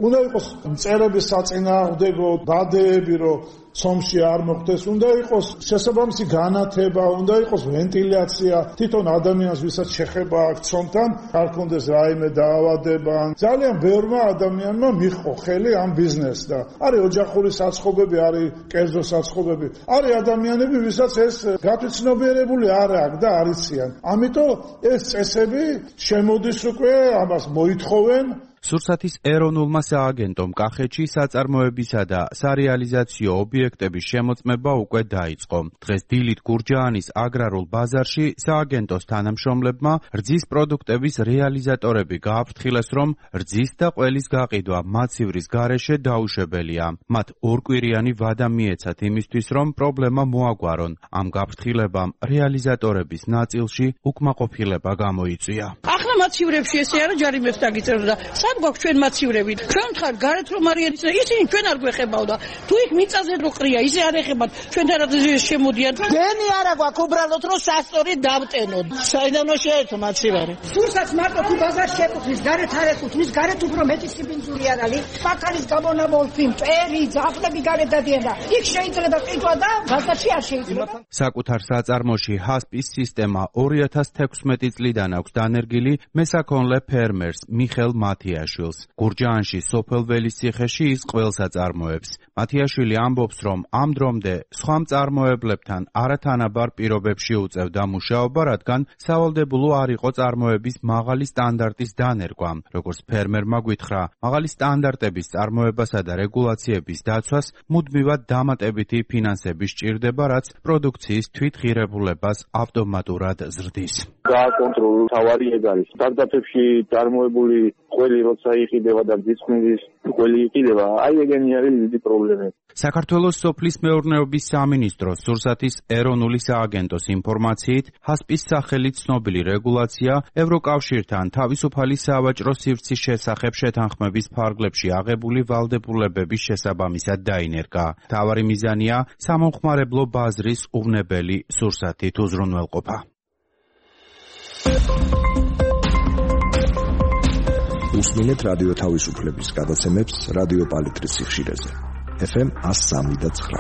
S6: უნდა იყოს მწერების საწინააღმდეგო დადეები, რომ სომში არ მოხდეს, უნდა იყოს შესაბამისი განათება, უნდა იყოს ვენტილაცია, თვითონ ადამიანს ვისაც შეხება აქვს ცომთან, არ კონდეს რაიმე დაავადება. ძალიან ბევრმა ადამიანმა მიჰყო ხელი ამ ბიზნესს და არის ოჯახური საცხობები, არის კერძო საცხობები, არის ადამიანები, ვისაც ეს გათვითცნობიერებული არ აქვს და არ იციან. ამიტომ ეს წესები შემოდის უკვე ამას მოითხოვენ.
S9: სურსათის ეროვნულმა სააგენტომ კახეთში საწარმოებისა და სარეალიზაციო ობიექტების შემოწმება უკვე დაიწყო. დღეს დილით გურჯაანის აგრარულ ბაზარში სააგენტოს თანამშრომლებმა რძის პროდუქტების რეალიზატორები გააფრთხილეს, რომ რძის და ყველის გაყიდვა მაცივრის გარეშე დაუშვებელია. მათ ორკვირიანი ვადა მიეცათ იმისთვის, რომ პრობლემა მოაგვარონ. ამ გაფრთხილებამ რეალიზატორების ნაწილში უკმაყოფილება გამოიწვია.
S11: ახლა მაცივრებში ესე არა ჯარიმებს დაგიწერდა და გვაქვს ჩვენ მაცივრები. ჩვენ ხარ გარეთ რომ არიან ისინი ჩვენ არ გვეხებავდა. თუ იქ მიწაზე რო ყრია, ისე არ ეხებათ. ჩვენთან რა შემოდიან. გენი არა გვაქვს უბრალოდ რომ სასწორი დავტენოთ. საიდანო შეერთო მაცივარი. სურსაც მარტო თუ ბაზარში ეკუთვნის, გარეთ არ ეკუთვნის, გარეთ უფრო მეტი სიბინძური არ არის. პაკანის გამონაბოლქვი, მტერი, ძაფლები გარეთ დადიან და იქ შეიძლება ყიდვა და ბაზარში არ შეიძლება.
S9: საკუთარ საწარმოში ჰასპის სისტემა 2016 წლიდან აქვს დანერგილი მესაქონლე ფერმერს მიხელ მათია გურჯაანში სოფელ ველისციხეში ის ყველს აწარმოებს. მათიაშვილი ამბობს, რომ ამ დრომდე სხვა მწარმოებლებთან არათანაბარ პირობებში უწევდა მუშაობა, რადგან სავალდებულო არ იყო წარმოების მაღალი სტანდარტის დანერგვა. როგორც ფერმერმა გვითხრა, მაღალი სტანდარტების წარმოებასა და რეგულაციების დაცვას მუდმივად დამატებითი ფინანსები სჭირდება, რაც პროდუქციის თვითღირებულებას ავტომატურად ზრდის.
S12: გააკონტროლო თავარი ეგ არის. სტარტაპებში წარმოებული ყველი როცა იყიდება და ძისხმის ყველი იყიდება, აი ეგენი არის დიდი პრობლემა.
S9: საქართველოს სოფლის მეურნეობის სამინისტროს სურსათის ეროვნული სააგენტოს ინფორმაციით, ჰასპის სახელით ცნობილი რეგულაცია ევროკავშირთან თავისუფალი სავაჭრო სივრცის შესახებ შეთანხმების ფარგლებში აღებული ვალდებულებების შესაბამისად დაინერგა. მთავარი მიზანია სამომხმარებლო ბაზრის უვნებელი სურსათით უზრუნველყოფა.
S4: უსმინეთ რადიო თავისუფლების გადაცემებს რადიო პალიტრის სიხშირეზე. FM 103.9.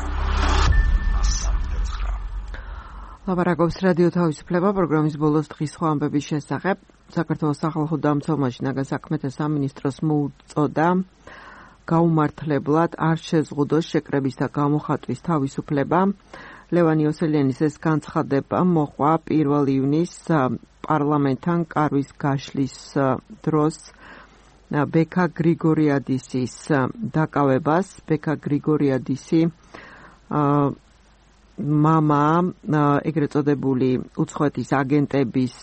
S1: ლაპარაკობს რადიო თავისუფლება პროგრამის ბოლოს დღის სხვა ამბების შესახებ. საქართველოს სახალხო დამცველმა შინაგან საქმეთა სამინისტროს მოუწოდა გაუმართლებლად არ შეზღუდოს შეკრების და გამოხატვის თავისუფლება. ლევან იოსელიანის ეს განცხადება მოყვა 1 ივნისს პარლამენტთან კარვის გაშლის დროს ბექა გრიგორიადისის დაკავებას. ბექა გრიგორიადისი მამა ეგრეთ წოდებული უცხოეთის აგენტების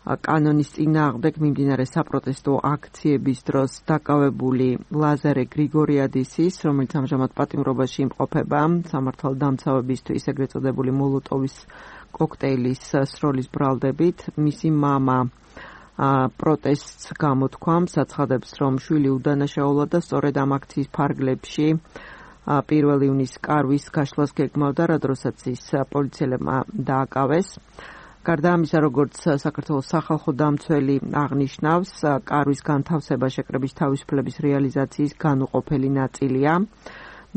S1: კანონის წინააღმდეგ მიმდინარე საპროტესტო აქციების დროს დაკავებული ლაზარე გრიგორიადისის, რომელიც ამჟამად პატიმრობაში იმყოფება სამართალდამცავებისთვის ეგრეთ წოდებული მოლოტოვის კოქტეილის სროლის ბრალდებით. მისი მამა პროტესტს გამოთქვამს, აცხადებს, რომ შვილი უდანაშაულა და სწორედ ამ აქციის ფარგლებში 1 ივნისს კარვის გაშლას გეგმავდა, რა დროსაც ის პოლიციელებმა დააკავეს. გარდა ამისა, როგორც საქართველოს სახალხო დამცველი აღნიშნავს, კარვის განთავსება შეკრების თავისუფლების რეალიზაციის განუყოფელი ნაწილია.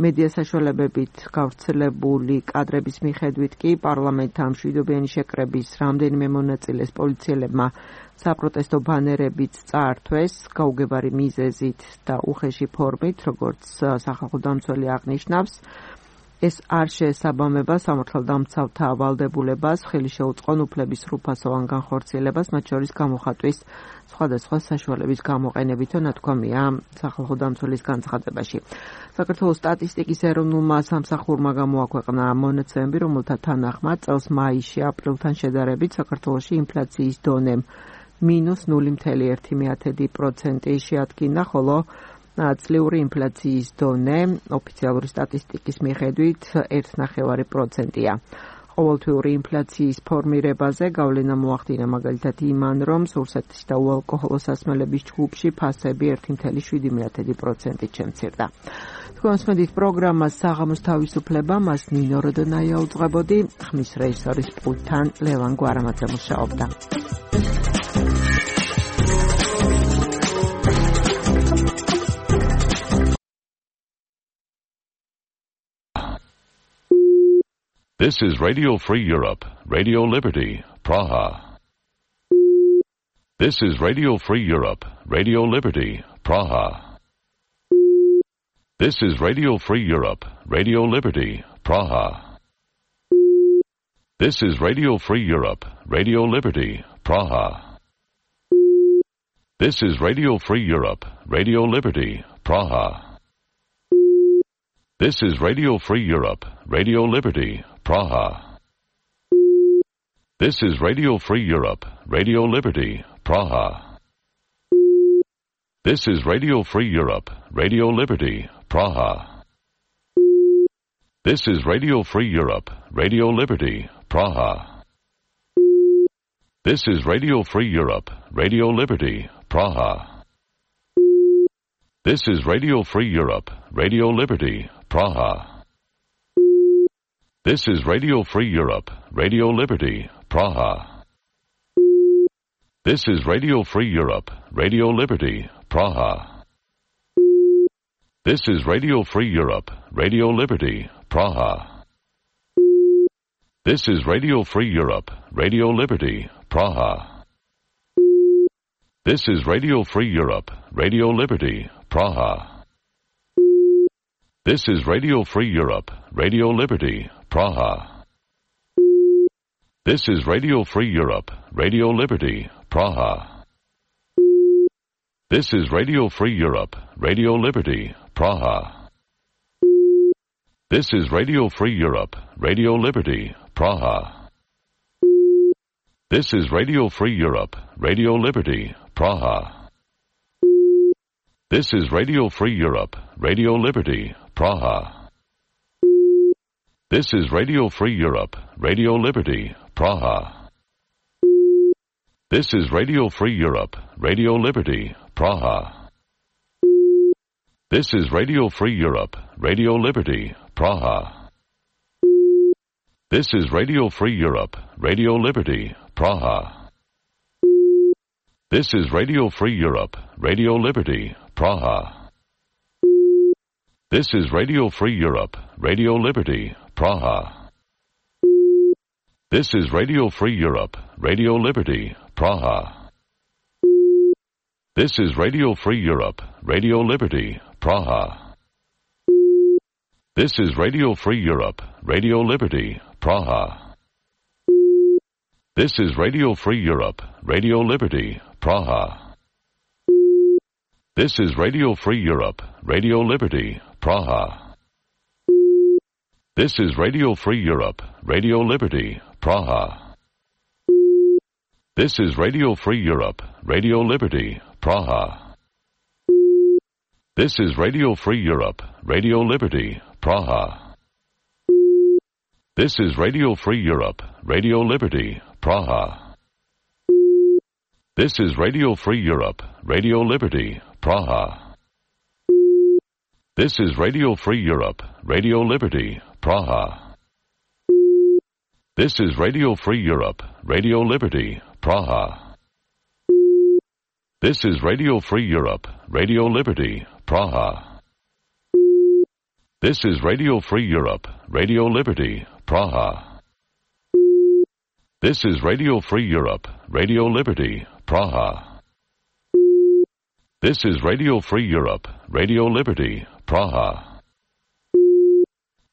S1: მედია საშუალებებით გავრცელებული კადრების მიხედვით კი პარლამენტთან მშვიდობიანი შეკრების რამდენიმე მონაწილეს პოლიციელებმა საპროტესტო ბანერებიც წაართვეს გაუგებარი მიზეზით და უხეში ფორმით, როგორც სახალხო დამცველი აღნიშნავს. ეს არ შეესაბამება სამართალდამცავთა ავალდებულებას, ხელი შეუწყონ უფლების სრულფასოვან განხორციელებას, მათ შორის გამოხატვის სხვადასხვა საშუალების გამოყენებითო ნათქვამია სახალხო დამცველის განცხადებაში. საქართველოს სტატისტიკის ეროვნულმა სამსახურმა გამოაქვეყნა მონაცემები, რომელთა თანახმად წელს მაისში აპრილთან შედარებით საქართველოში ინფლაციის დონე -0.1% შეადგინა, ხოლო წლიური ინფლაციის დონე ოფიციალური სტატისტიკის მიხედვით 1.9%-ია. ყოველთვიური ინფლაციის ფორმირებაზე გავლენა მოახდინა მაგალითად იმან, რომ სურსათის და უალკოჰოლო სასმელების ჯგუფში ფასები 1.7%-ით შემცირდა. თქვენს მედით პროგრამას საღამოს თავისუფლება, მას ნინო როდონაია უძღვებოდი, ხმის რეჟისორის პულტთან ლევან გვარამაძე მუშაობდა.
S13: This is Radio Free Europe, Radio Liberty, Praha. This is Radio Free Europe, Radio Liberty, Praha. This is Radio Free Europe, Radio Liberty, Praha. This is Radio Free Europe, Radio Liberty, Praha. This is Radio Free Europe, Radio Liberty, Praha. This is Radio Free Europe, Radio Liberty, Praha. This is Radio Free Europe, Radio Liberty, Praha. This is Radio Free Europe, Radio Liberty, Praha. This is Radio Free Europe, Radio Liberty, Praha. This is Radio Free Europe, Radio Liberty, Praha. This is Radio Free Europe, Radio Liberty, Praha. This is Radio Free Europe, Radio Liberty, Praha. This is Radio Free Europe, Radio Liberty, Praha. This is Radio Free Europe, Radio Liberty, Praha. This is Radio Free Europe, Radio Liberty, Praha. This is Radio Free Europe, Radio Liberty, Praha. This is Radio Free Europe, Radio Liberty, Praha. This is Radio Free Europe, Radio Liberty, Praha. This is Radio Free Europe, Radio Liberty, Praha. This is Radio Free Europe, Radio Liberty, Praha. This is Radio Free Europe, Radio Liberty, Praha. This is Radio Free Europe, Radio Liberty, Praha. This is Radio Free Europe, Radio Liberty, Praha. This is Radio Free Europe, Radio Liberty, Praha. This is Radio Free Europe, Radio Liberty, Praha. This is Radio Free Europe, Radio Liberty, Praha. This is Radio Free Europe, Radio Liberty, Praha. This is Radio Free Europe, Radio Liberty, Praha. This is Radio Free Europe, Radio Liberty, Praha. This is Radio Free Europe, Radio Liberty, Praha. This is Radio Free Europe, Radio Liberty, Praha. This is Radio Free Europe, Radio Liberty, Praha. This is Radio Free Europe, Radio Liberty, Praha. This is Radio Free Europe, Radio Liberty, Praha. This is Radio Free Europe, Radio Liberty, Praha. This is Radio Free Europe, Radio Liberty, Praha. This is Radio Free Europe, Radio Liberty, Praha. This is Radio Free Europe, Radio Liberty, Praha. This is Radio Free Europe, Radio Liberty, Praha. This is Radio Free Europe, Radio Liberty, Praha. This is Radio Free Europe, Radio Liberty, Praha. This is Radio Free Europe, Radio Liberty, Praha. This is Radio Free Europe, Radio Liberty, Praha. This is Radio Free Europe, Radio Liberty, Praha.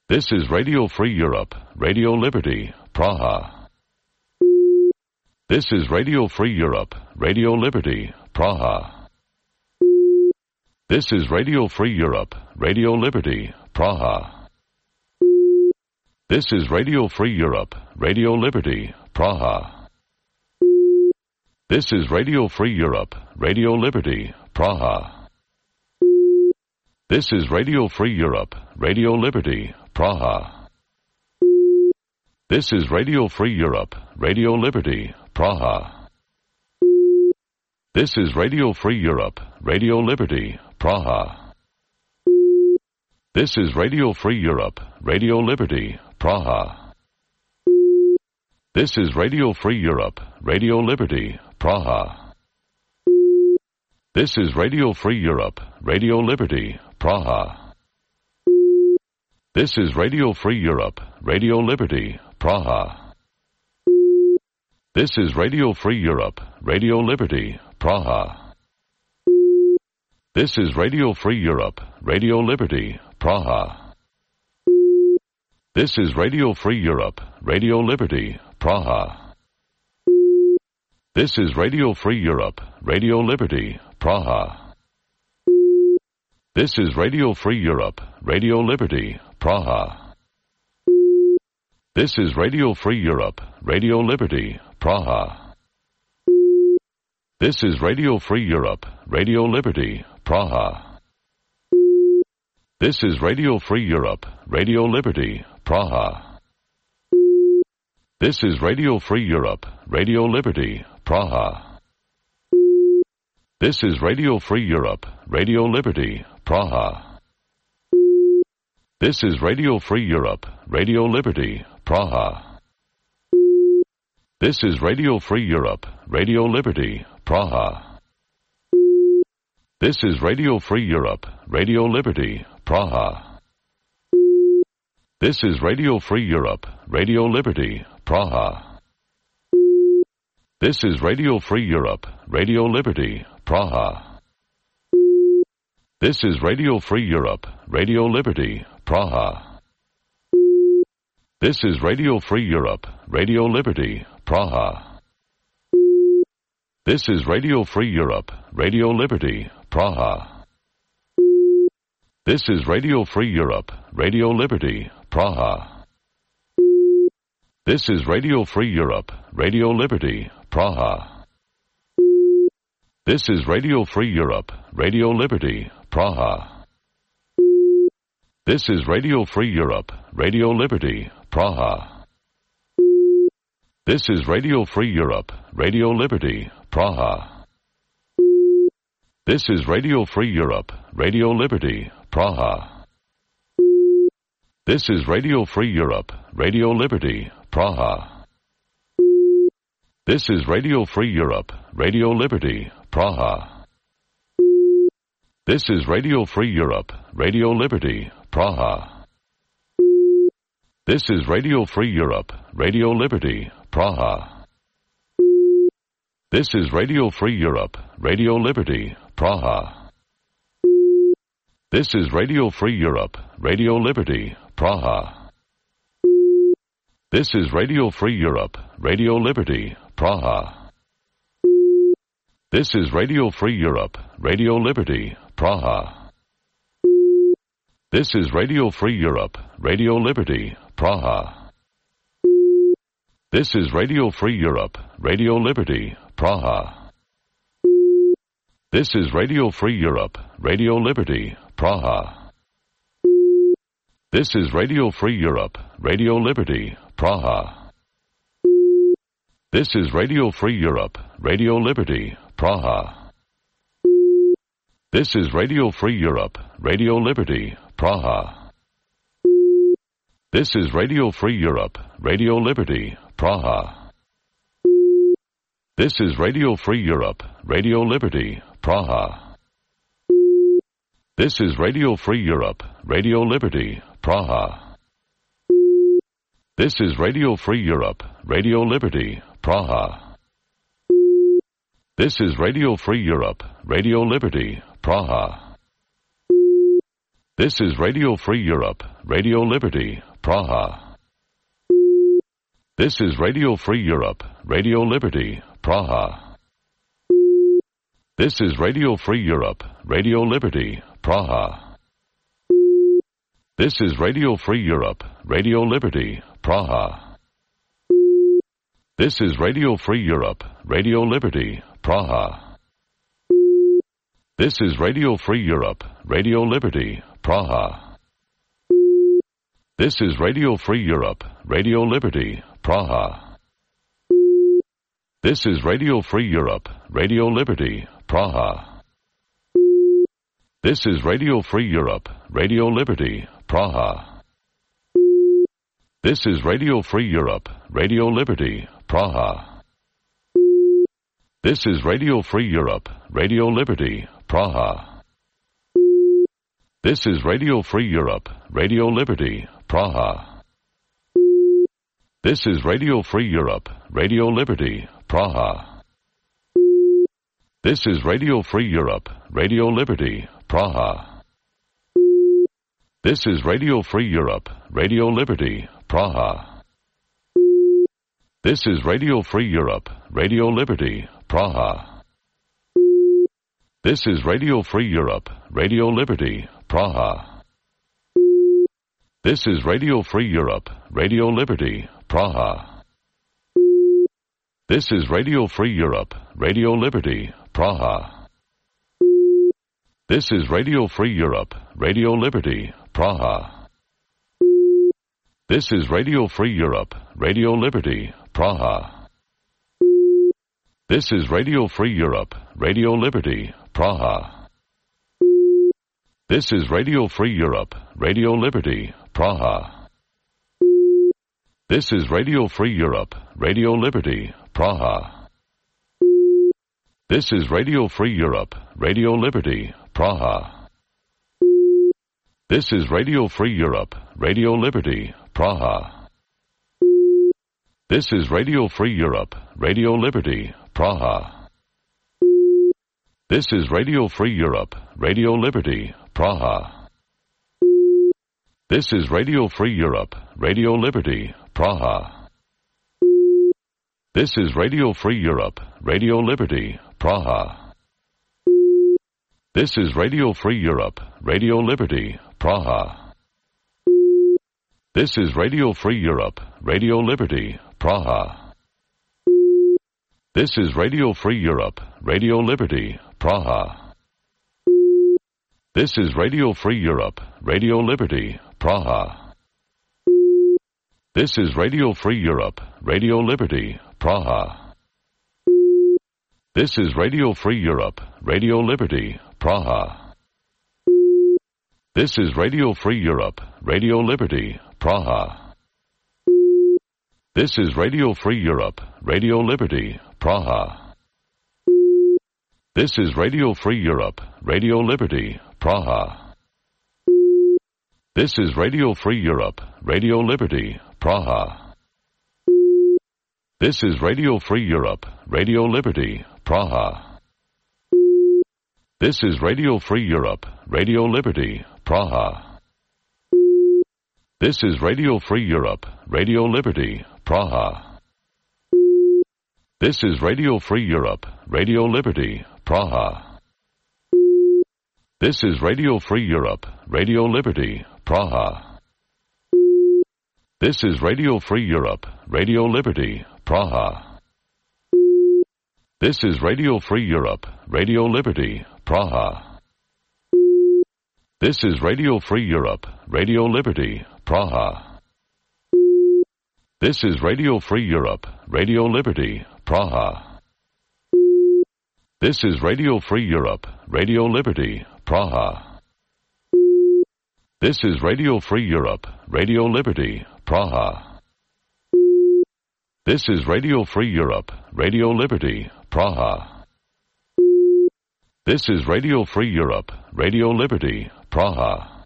S13: This is Radio Free Europe, Radio Liberty, Praha. This is Radio Free Europe, Radio Liberty, Praha. This is Radio Free Europe, Radio Liberty, Praha. This is Radio Free Europe, Radio Liberty, Praha. This is Radio Free Europe, Radio Liberty, Praha. This is Radio Free Europe, Radio Liberty, Praha. This is Radio Free Europe, Radio Liberty, Praha. This is Radio Free Europe, Radio Liberty, Praha. This is Radio Free Europe, Radio Liberty, Praha. This is Radio Free Europe, Radio Liberty, Praha. This is Radio Free Europe, Radio Liberty, Praha. This is Radio Free Europe, Radio Liberty, Praha. This is Radio Free Europe, Radio Liberty, Praha. This is Radio Free Europe, Radio Liberty, Praha. This is Radio Free Europe, Radio Liberty, Praha. This is Radio Free Europe, Radio Liberty, Praha. This is Radio Free Europe, Radio Liberty, Praha. This is Radio Free Europe, Radio Liberty, Praha. This is Radio Free Europe, Radio Liberty, Praha. This is Radio Free Europe, Radio Liberty, Praha. This is Radio Free Europe, Radio Liberty, Praha. This is Radio Free Europe, Radio Liberty, Praha. This is Radio Free Europe, Radio Liberty, Praha. This is Radio Free Europe, Radio Liberty, Praha. This is Radio Free Europe, Radio Liberty, Praha. This is Radio Free Europe, Radio Liberty, Praha. This is Radio Free Europe, Radio Liberty, Praha. This is Radio Free Europe, Radio Liberty, Praha. This is Radio Free Europe, Radio Liberty, Praha. This is Radio Free Europe, Radio Liberty, Praha. This is Radio Free Europe, Radio Liberty, Praha. This is Radio Free Europe, Radio Liberty, Praha. This is Radio Free Europe, Radio Liberty, Praha. This is Radio Free Europe, Radio Liberty, Praha. This is Radio Free Europe, Radio Liberty, Praha. This is Radio Free Europe, Radio Liberty, Praha. This is Radio Free Europe, Radio Liberty, Praha. This is Radio Free Europe, Radio Liberty, Praha. This is Radio Free Europe, Radio Liberty, Praha. This is Radio Free Europe, Radio Liberty, Praha. This is Radio Free Europe, Radio Liberty, Praha. This is Radio Free Europe, Radio Liberty, Praha. This is Radio Free Europe, Radio Liberty, Praha. This is Radio Free Europe, Radio Liberty, Praha. This is Radio Free Europe, Radio Liberty, Praha. This is Radio Free Europe, Radio Liberty, Praha. This is Radio Free Europe, Radio Liberty, Praha. This is Radio Free Europe, Radio Liberty, Praha. This is Radio Free Europe, Radio Liberty, Praha. This is Radio Free Europe, Radio Liberty, Praha. This is Radio Free Europe, Radio Liberty, Praha. This is Radio Free Europe, Radio Liberty, Praha. This is Radio Free Europe, Radio Liberty, Praha. This is Radio Free Europe, Radio Liberty, Praha. This is Radio Free Europe, Radio Liberty, Praha. This is Radio Free Europe, Radio Liberty, Praha. This is Radio Free Europe, Radio Liberty, Praha. This is Radio Free Europe, Radio Liberty, Praha. This is Radio Free Europe, Radio Liberty, Praha. This is Radio Free Europe, Radio Liberty, Praha. This is Radio Free Europe, Radio Liberty, Praha. This is Radio Free Europe, Radio Liberty, Praha. This is Radio Free Europe, Radio Liberty, Praha. This is Radio Free Europe, Radio Liberty, Praha. This is Radio Free Europe, Radio Liberty, Praha. This is Radio Free Europe, Radio Liberty, Praha. This is Radio Free Europe, Radio Liberty, Praha. This is Radio Free Europe, Radio Liberty, Praha. This is Radio Free Europe, Radio Liberty, Praha. This is Radio Free Europe, Radio Liberty, Praha. This is Radio Free Europe, Radio Liberty, Praha. This is Radio Free Europe, Radio Liberty, Praha. This is Radio Free Europe, Radio Liberty, Praha. This is Radio Free Europe, Radio Liberty, Praha. This is Radio Free Europe, Radio Liberty, Praha. This is Radio Free Europe, Radio Liberty, Praha. This is Radio Free Europe, Radio Liberty, Praha. This is Radio Free Europe, Radio Liberty, Praha. This is Radio Free Europe, Radio Liberty, Praha. This is Radio Free Europe, Radio Liberty, Praha. This is Radio Free Europe, Radio Liberty, Praha. This is Radio Free Europe, Radio Liberty, Praha. This is Radio Free Europe, Radio Liberty, Praha. This is Radio Free Europe, Radio Liberty, Praha. This is Radio Free Europe, Radio Liberty, Praha. This is Radio Free Europe, Radio Liberty, Praha. This is Radio Free Europe, Radio Liberty, Praha. This is Radio Free Europe, Radio Liberty, Praha. This is Radio Free Europe, Radio Liberty, Praha. This is Radio Free Europe, Radio Liberty, Praha. This is Radio Free Europe, Radio Liberty, Praha. This is Radio Free Europe, Radio Liberty, Praha. This is Radio Free Europe, Radio Liberty, Praha. This is Radio Free Europe, Radio Liberty, Praha. This is Radio Free Europe, Radio Liberty, Praha. This is Radio Free Europe, Radio Liberty, Praha. This is Radio Free Europe, Radio Liberty, Praha. This is Radio Free Europe, Radio Liberty, Praha. This is Radio Free Europe, Radio Liberty, Praha. This is Radio Free Europe, Radio Liberty, Praha. This is Radio Free Europe, Radio Liberty, Praha. This is Radio Free Europe, Radio Liberty, Praha. This is Radio Free Europe, Radio Liberty, Praha. This is Radio Free Europe, Radio Liberty, Praha. This is Radio Free Europe, Radio Liberty, Praha. This is Radio Free Europe, Radio Liberty, Praha. This is Radio Free Europe, Radio Liberty, Praha. This is Radio Free Europe, Radio Liberty, Praha.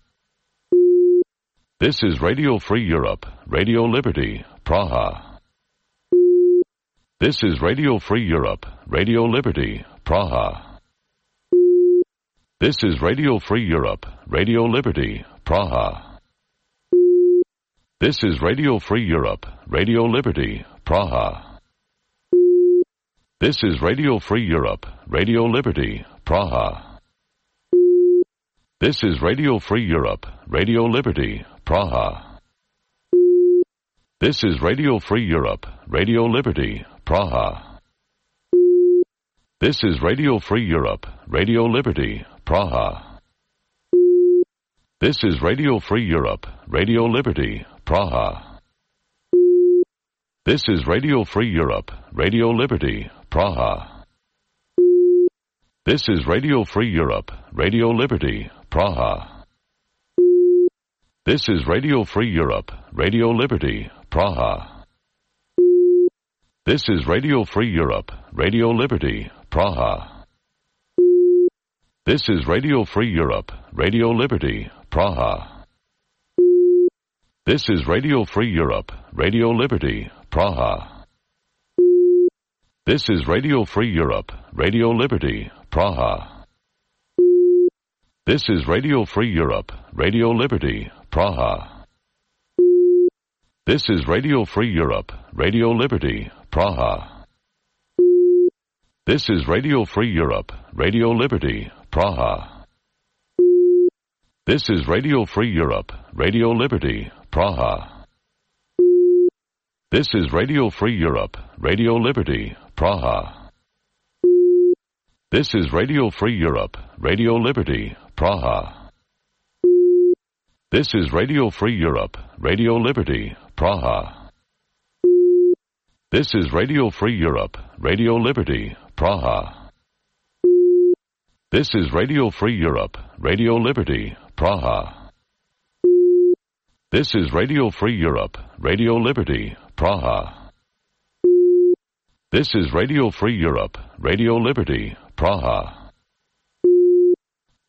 S13: This is Radio Free Europe, Radio Liberty, Praha. This is Radio Free Europe, Radio Liberty, Praha. This is Radio Free Europe, Radio Liberty, Praha. This is Radio Free Europe, Radio Liberty, Praha. This is Radio Free Europe, Radio Liberty, Praha. This is Radio Free Europe, Radio Liberty, Praha. This is Radio Free Europe, Radio Liberty, Praha. This is Radio Free Europe, Radio Liberty, Praha. This is Radio Free Europe, Radio Liberty, Praha. This is Radio Free Europe, Radio Liberty, Praha. This is Radio Free Europe, Radio Liberty, Praha. This is Radio Free Europe, Radio Liberty, Praha. This is Radio Free Europe, Radio Liberty, Praha. This is Radio Free Europe, Radio Liberty, Praha. This is Radio Free Europe, Radio Liberty, Praha. This is Radio Free Europe, Radio Liberty, Praha. This is Radio Free Europe, Radio Liberty, Praha. This is Radio Free Europe, Radio Liberty, Praha. This is Radio Free Europe, Radio Liberty, Praha. This is Radio Free Europe, Radio Liberty, Praha. This is Radio Free Europe, Radio Liberty, Praha. This is Radio Free Europe, Radio Liberty, Praha. This is Radio Free Europe, Radio Liberty, Praha. This is Radio Free Europe, Radio Liberty, Praha. This is Radio Free Europe, Radio Liberty, Praha. This is Radio Free Europe, Radio Liberty, Praha. This is Radio Free Europe, Radio Liberty, Praha.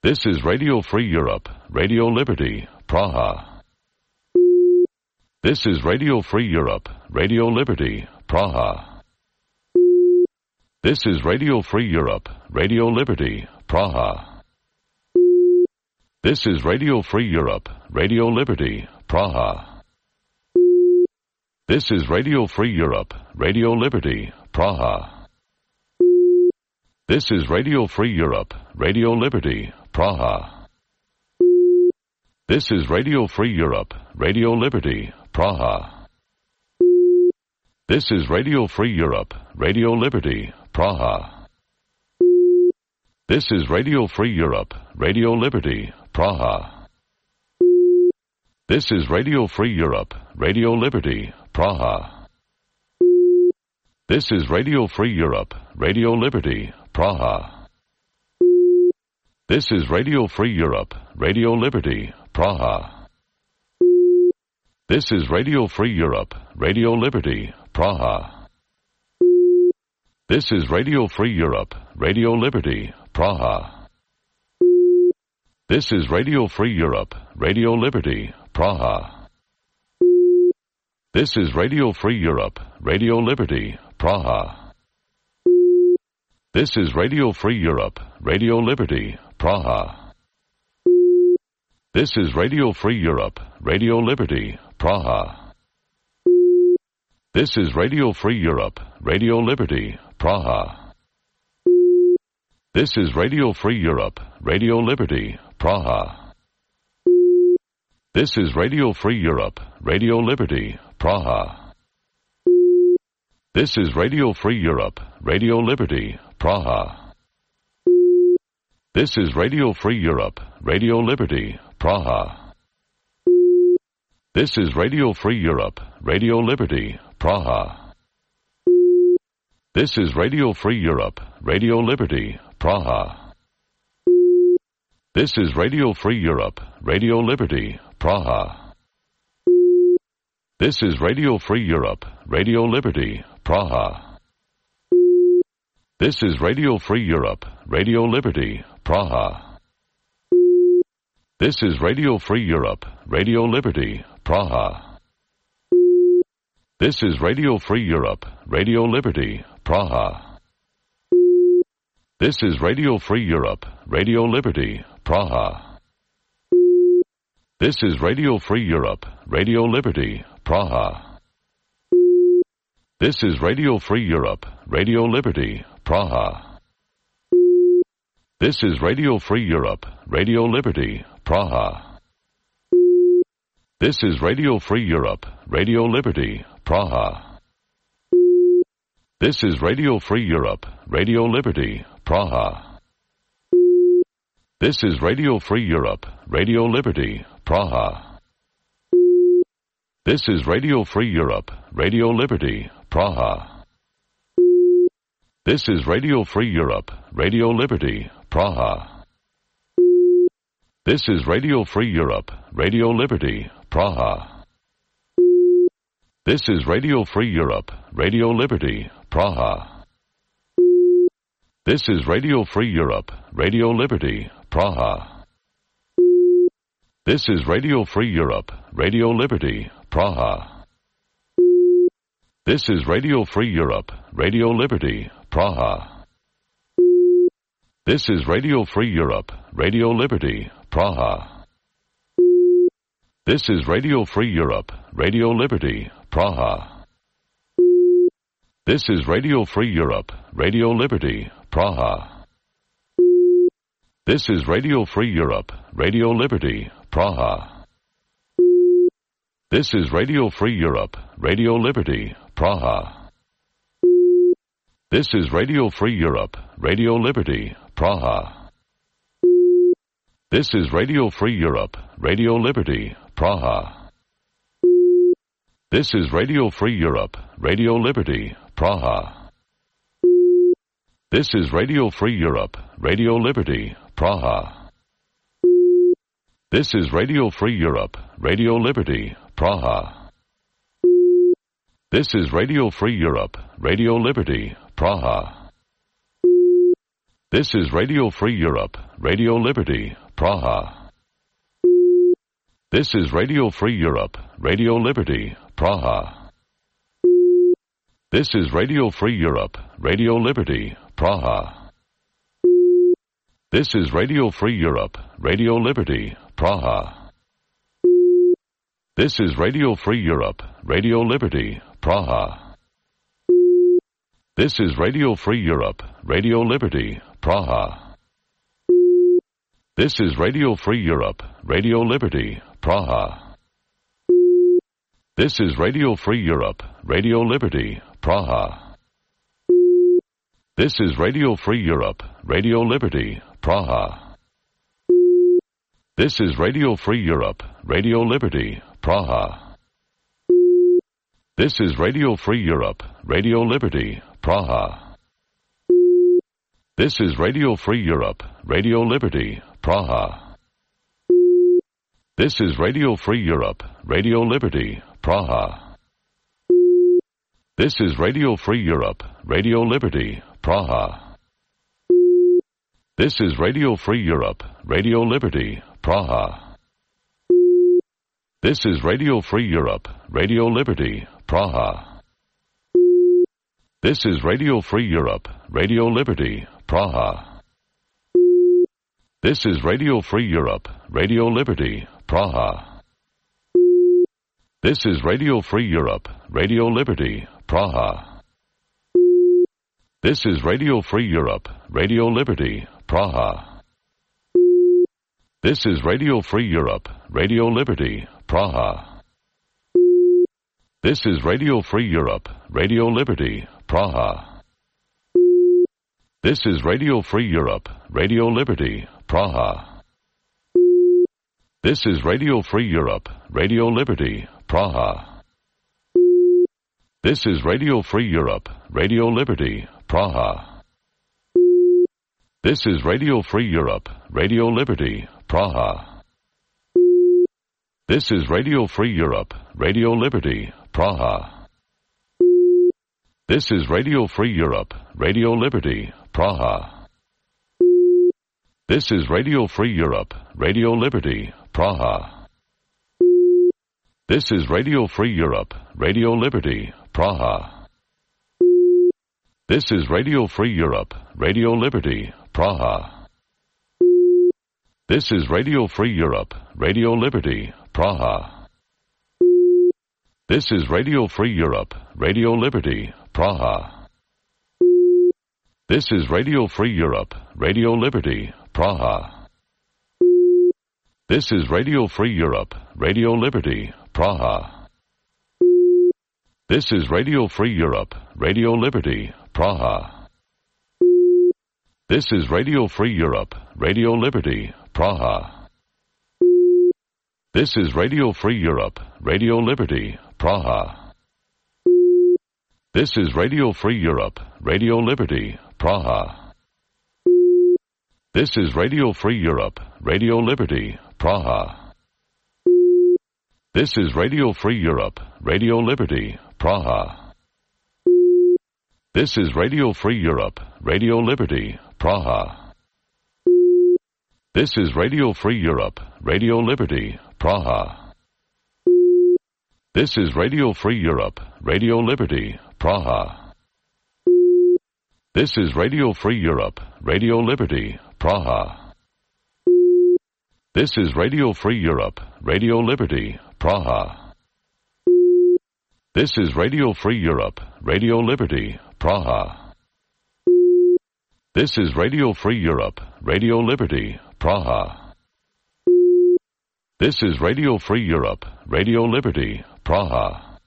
S13: This is Radio Free Europe, Radio Liberty, Praha. This is Radio Free Europe, Radio Liberty, Praha. This is Radio Free Europe, Radio Liberty, Praha. This is Radio Free Europe, Radio Liberty, Praha. This is Radio Free Europe, Radio Liberty, Praha. This is Radio Free Europe, Radio Liberty, Praha. This is Radio Free Europe, Radio Liberty, Praha. This is Radio Free Europe, Radio Liberty, Praha. This is Radio Free Europe, Radio Liberty, Praha. This is Radio Free Europe, Radio Liberty, Praha. This is Radio Free Europe, Radio Liberty, Praha. This is Radio Free Europe, Radio Liberty, Praha. This is Radio Free Europe, Radio Liberty, Praha. This is Radio Free Europe, Radio Liberty, Praha. This is Radio Free Europe, Radio Liberty, Praha. This is Radio Free Europe, Radio Liberty, Praha. This is Radio Free Europe, Radio Liberty, Praha. This is Radio Free Europe, Radio Liberty, Praha. This is Radio Free Europe, Radio Liberty, Praha. This is Radio Free Europe, Radio Liberty, Praha. This is Radio Free Europe, Radio Liberty, Praha. This is Radio Free Europe, Radio Liberty, Praha. This is Radio Free Europe, Radio Liberty, Praha. This is Radio Free Europe, Radio Liberty, Praha. This is Radio Free Europe, Radio Liberty, Praha. This is Radio Free Europe, Radio Liberty, Praha. This is Radio Free Europe, Radio Liberty, Praha. This is Radio Free Europe, Radio Liberty, Praha. This is Radio Free Europe, Radio Liberty, Praha. This is Radio Free Europe, Radio Liberty, Praha. This is Radio Free Europe, Radio Liberty, Praha. This is Radio Free Europe, Radio Liberty, Praha. This is Radio Free Europe, Radio Liberty, Praha. This is Radio Free Europe, Radio Liberty, Praha. This is Radio Free Europe, Radio Liberty, Praha. This is Radio Free Europe, Radio Liberty, Praha. This is Radio Free Europe, Radio Liberty, Praha. This is Radio Free Europe, Radio Liberty, Praha. This is Radio Free Europe, Radio Liberty, Praha. This is Radio Free Europe, Radio Liberty, Praha. This is Radio Free Europe, Radio Liberty, Praha. This is Radio Free Europe, Radio Liberty, Praha. This is Radio Free Europe, Radio Liberty, Praha. This is Radio Free Europe, Radio Liberty, Praha. This is Radio Free Europe, Radio Liberty, Praha. This is Radio Free Europe, Radio Liberty, Praha. This is Radio Free Europe, Radio Liberty, Praha. This is Radio Free Europe, Radio Liberty, Praha. This is Radio Free Europe, Radio Liberty, Praha. This is Radio Free Europe, Radio Liberty, Praha. This is Radio Free Europe, Radio Liberty, Praha. This is Radio Free Europe, Radio Liberty, Praha. This is Radio Free Europe, Radio Liberty, Praha. This is Radio Free Europe, Radio Liberty, Praha. This is Radio Free Europe, Radio Liberty, Praha. This is Radio Free Europe, Radio Liberty, Praha. This is Radio Free Europe, Radio Liberty, Praha. This is Radio Free Europe, Radio Liberty, Praha. This is Radio Free Europe, Radio Liberty, Praha. This is Radio Free Europe, Radio Liberty, Praha. This is Radio Free Europe, Radio Liberty, Praha. This is Radio Free Europe, Radio Liberty, Praha. This is Radio Free Europe, Radio Liberty, Praha. This is Radio Free Europe, Radio Liberty, Praha. This is Radio Free Europe, Radio Liberty, Praha. This is Radio Free Europe, Radio Liberty, Praha. This is Radio Free Europe, Radio Liberty, Praha. This is Radio Free Europe, Radio Liberty, Praha. This is Radio Free Europe, Radio Liberty, Praha. This is Radio Free Europe, Radio Liberty, Praha. This is Radio Free Europe, Radio Liberty, Praha. This is Radio Free Europe, Radio Liberty, Praha. This is Radio Free Europe, Radio Liberty, Praha. This is Radio Free Europe, Radio Liberty, Praha. This is Radio Free Europe, Radio Liberty, Praha. This is Radio Free Europe, Radio Liberty, Praha. This is Radio Free Europe, Radio Liberty, Praha. This is Radio Free Europe, Radio Liberty, Praha. This is Radio Free Europe, Radio Liberty, Praha. This is Radio Free Europe, Radio Liberty, Praha. This is Radio Free Europe, Radio Liberty, Praha. This is Radio Free Europe, Radio Liberty, Praha. This is Radio Free Europe, Radio Liberty, Praha. This is Radio Free Europe, Radio Liberty, Praha. This is Radio Free Europe, Radio Liberty, Praha. This is Radio Free Europe, Radio Liberty, Praha. This is Radio Free Europe, Radio Liberty, Praha. This is Radio Free Europe, Radio Liberty, Praha. This is Radio Free Europe, Radio Liberty, Praha. This is Radio Free Europe, Radio Liberty, Praha. This is Radio Free Europe, Radio Liberty, Praha. This is Radio Free Europe, Radio Liberty, Praha. This is Radio Free Europe, Radio Liberty, Praha. This is Radio Free Europe, Radio Liberty, Praha. This is Radio Free Europe, Radio Liberty, Praha. This is Radio Free Europe, Radio Liberty, Praha. This is Radio Free Europe, Radio Liberty, Praha. This is Radio Free Europe, Radio Liberty, Praha. This is Radio Free Europe, Radio Liberty, Praha. This is Radio Free Europe, Radio Liberty, Praha. This is Radio Free Europe, Radio Liberty, Praha. This is Radio Free Europe, Radio Liberty, Praha. This is Radio Free Europe, Radio Liberty, Praha. This is Radio Free Europe, Radio Liberty, Praha.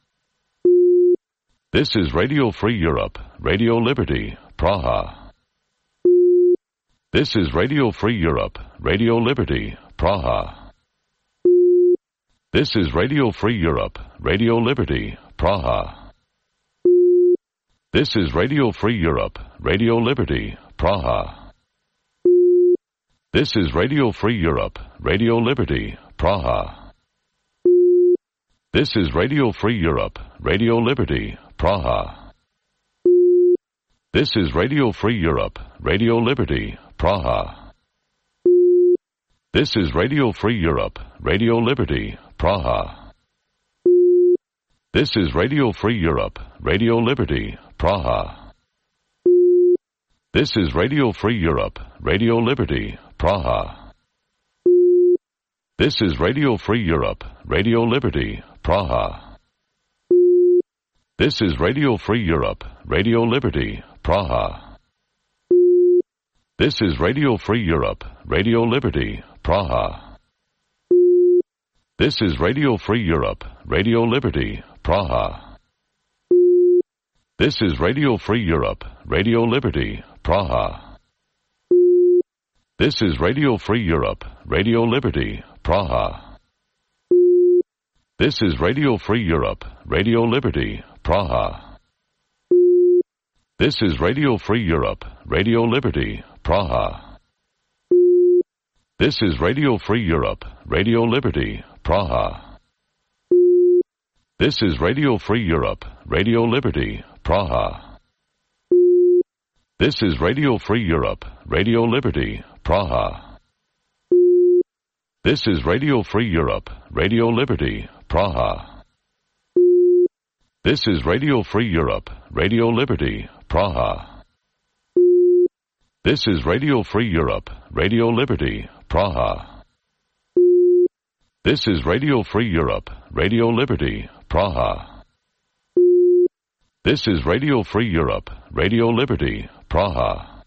S13: This is Radio Free Europe, Radio Liberty, Praha. This is Radio Free Europe, Radio Liberty, Praha. This is Radio Free Europe, Radio Liberty, Praha. This is Radio Free Europe, Radio Liberty, Praha. This is Radio Free Europe, Radio Liberty, Praha. This is Radio Free Europe, Radio Liberty, Praha. This is Radio Free Europe, Radio Liberty, Praha. This is Radio Free Europe, Radio Liberty, Praha. This is Radio Free Europe, Radio Liberty, Praha. This is Radio Free Europe, Radio Liberty, Praha. This is Radio Free Europe, Radio Liberty, Praha. This is Radio Free Europe, Radio Liberty, Praha. This is Radio Free Europe, Radio Liberty, Praha. This is Radio Free Europe, Radio Liberty, Praha. This is Radio Free Europe, Radio Liberty, Praha. This is Radio Free Europe, Radio Liberty, Praha. This is Radio Free Europe, Radio Liberty, Praha. This is Radio Free Europe, Radio Liberty, Praha. This is Radio Free Europe, Radio Liberty, Praha. This is Radio Free Europe, Radio Liberty, Praha. This is Radio Free Europe, Radio Liberty, Praha. This is Radio Free Europe, Radio Liberty, Praha. This is Radio Free Europe, Radio Liberty, Praha. This is Radio Free Europe, Radio Liberty, Praha. This is Radio Free Europe, Radio Liberty, Praha. This is Radio Free Europe, Radio Liberty, Praha.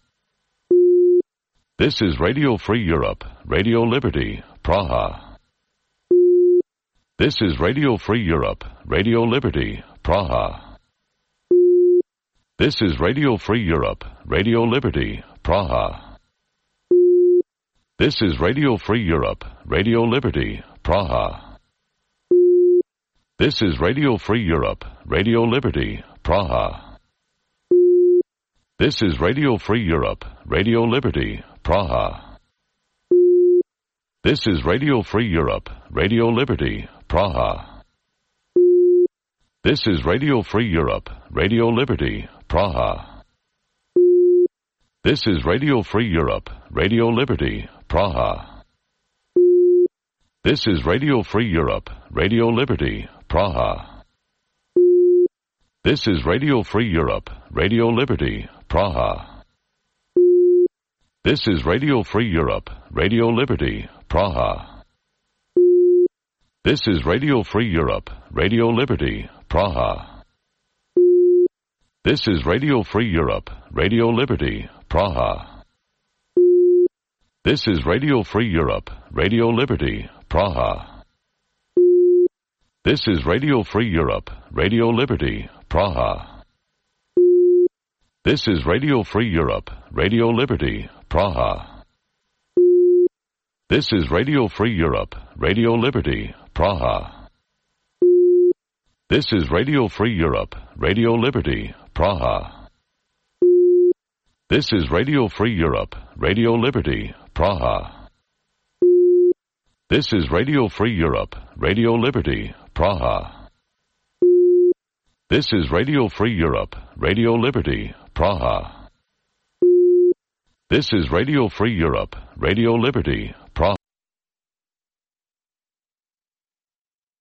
S13: This is Radio Free Europe, Radio Liberty, Praha. This is Radio Free Europe, Radio Liberty, Praha. This is Radio Free Europe, Radio Liberty, Praha. This is Radio Free Europe, Radio Liberty, Praha. This is Radio Free Europe, Radio Liberty, Praha. This is Radio Free Europe, Radio Liberty, Praha. This is Radio Free Europe, Radio Liberty, Praha. This is Radio Free Europe, Radio Liberty, Praha. This is Radio Free Europe, Radio Liberty, Praha. This is Radio Free Europe, Radio Liberty, Praha. This is Radio Free Europe, Radio Liberty, Praha. This is Radio Free Europe, Radio Liberty, Praha. This is Radio Free Europe, Radio Liberty, Praha. This is Radio Free Europe, Radio Liberty, Praha. This is Radio Free Europe, Radio Liberty, Praha. This is Radio Free Europe, Radio Liberty, Praha. This is Radio Free Europe, Radio Liberty, Praha. This is Radio Free Europe, Radio Liberty, Praha. This is Radio Free Europe, Radio Liberty, Praha. This is Radio Free Europe, Radio Liberty, Praha. This is Radio Free Europe, Radio Liberty, Praha. This is Radio Free Europe, Radio Liberty, Praha. This is Radio Free Europe, Radio Liberty,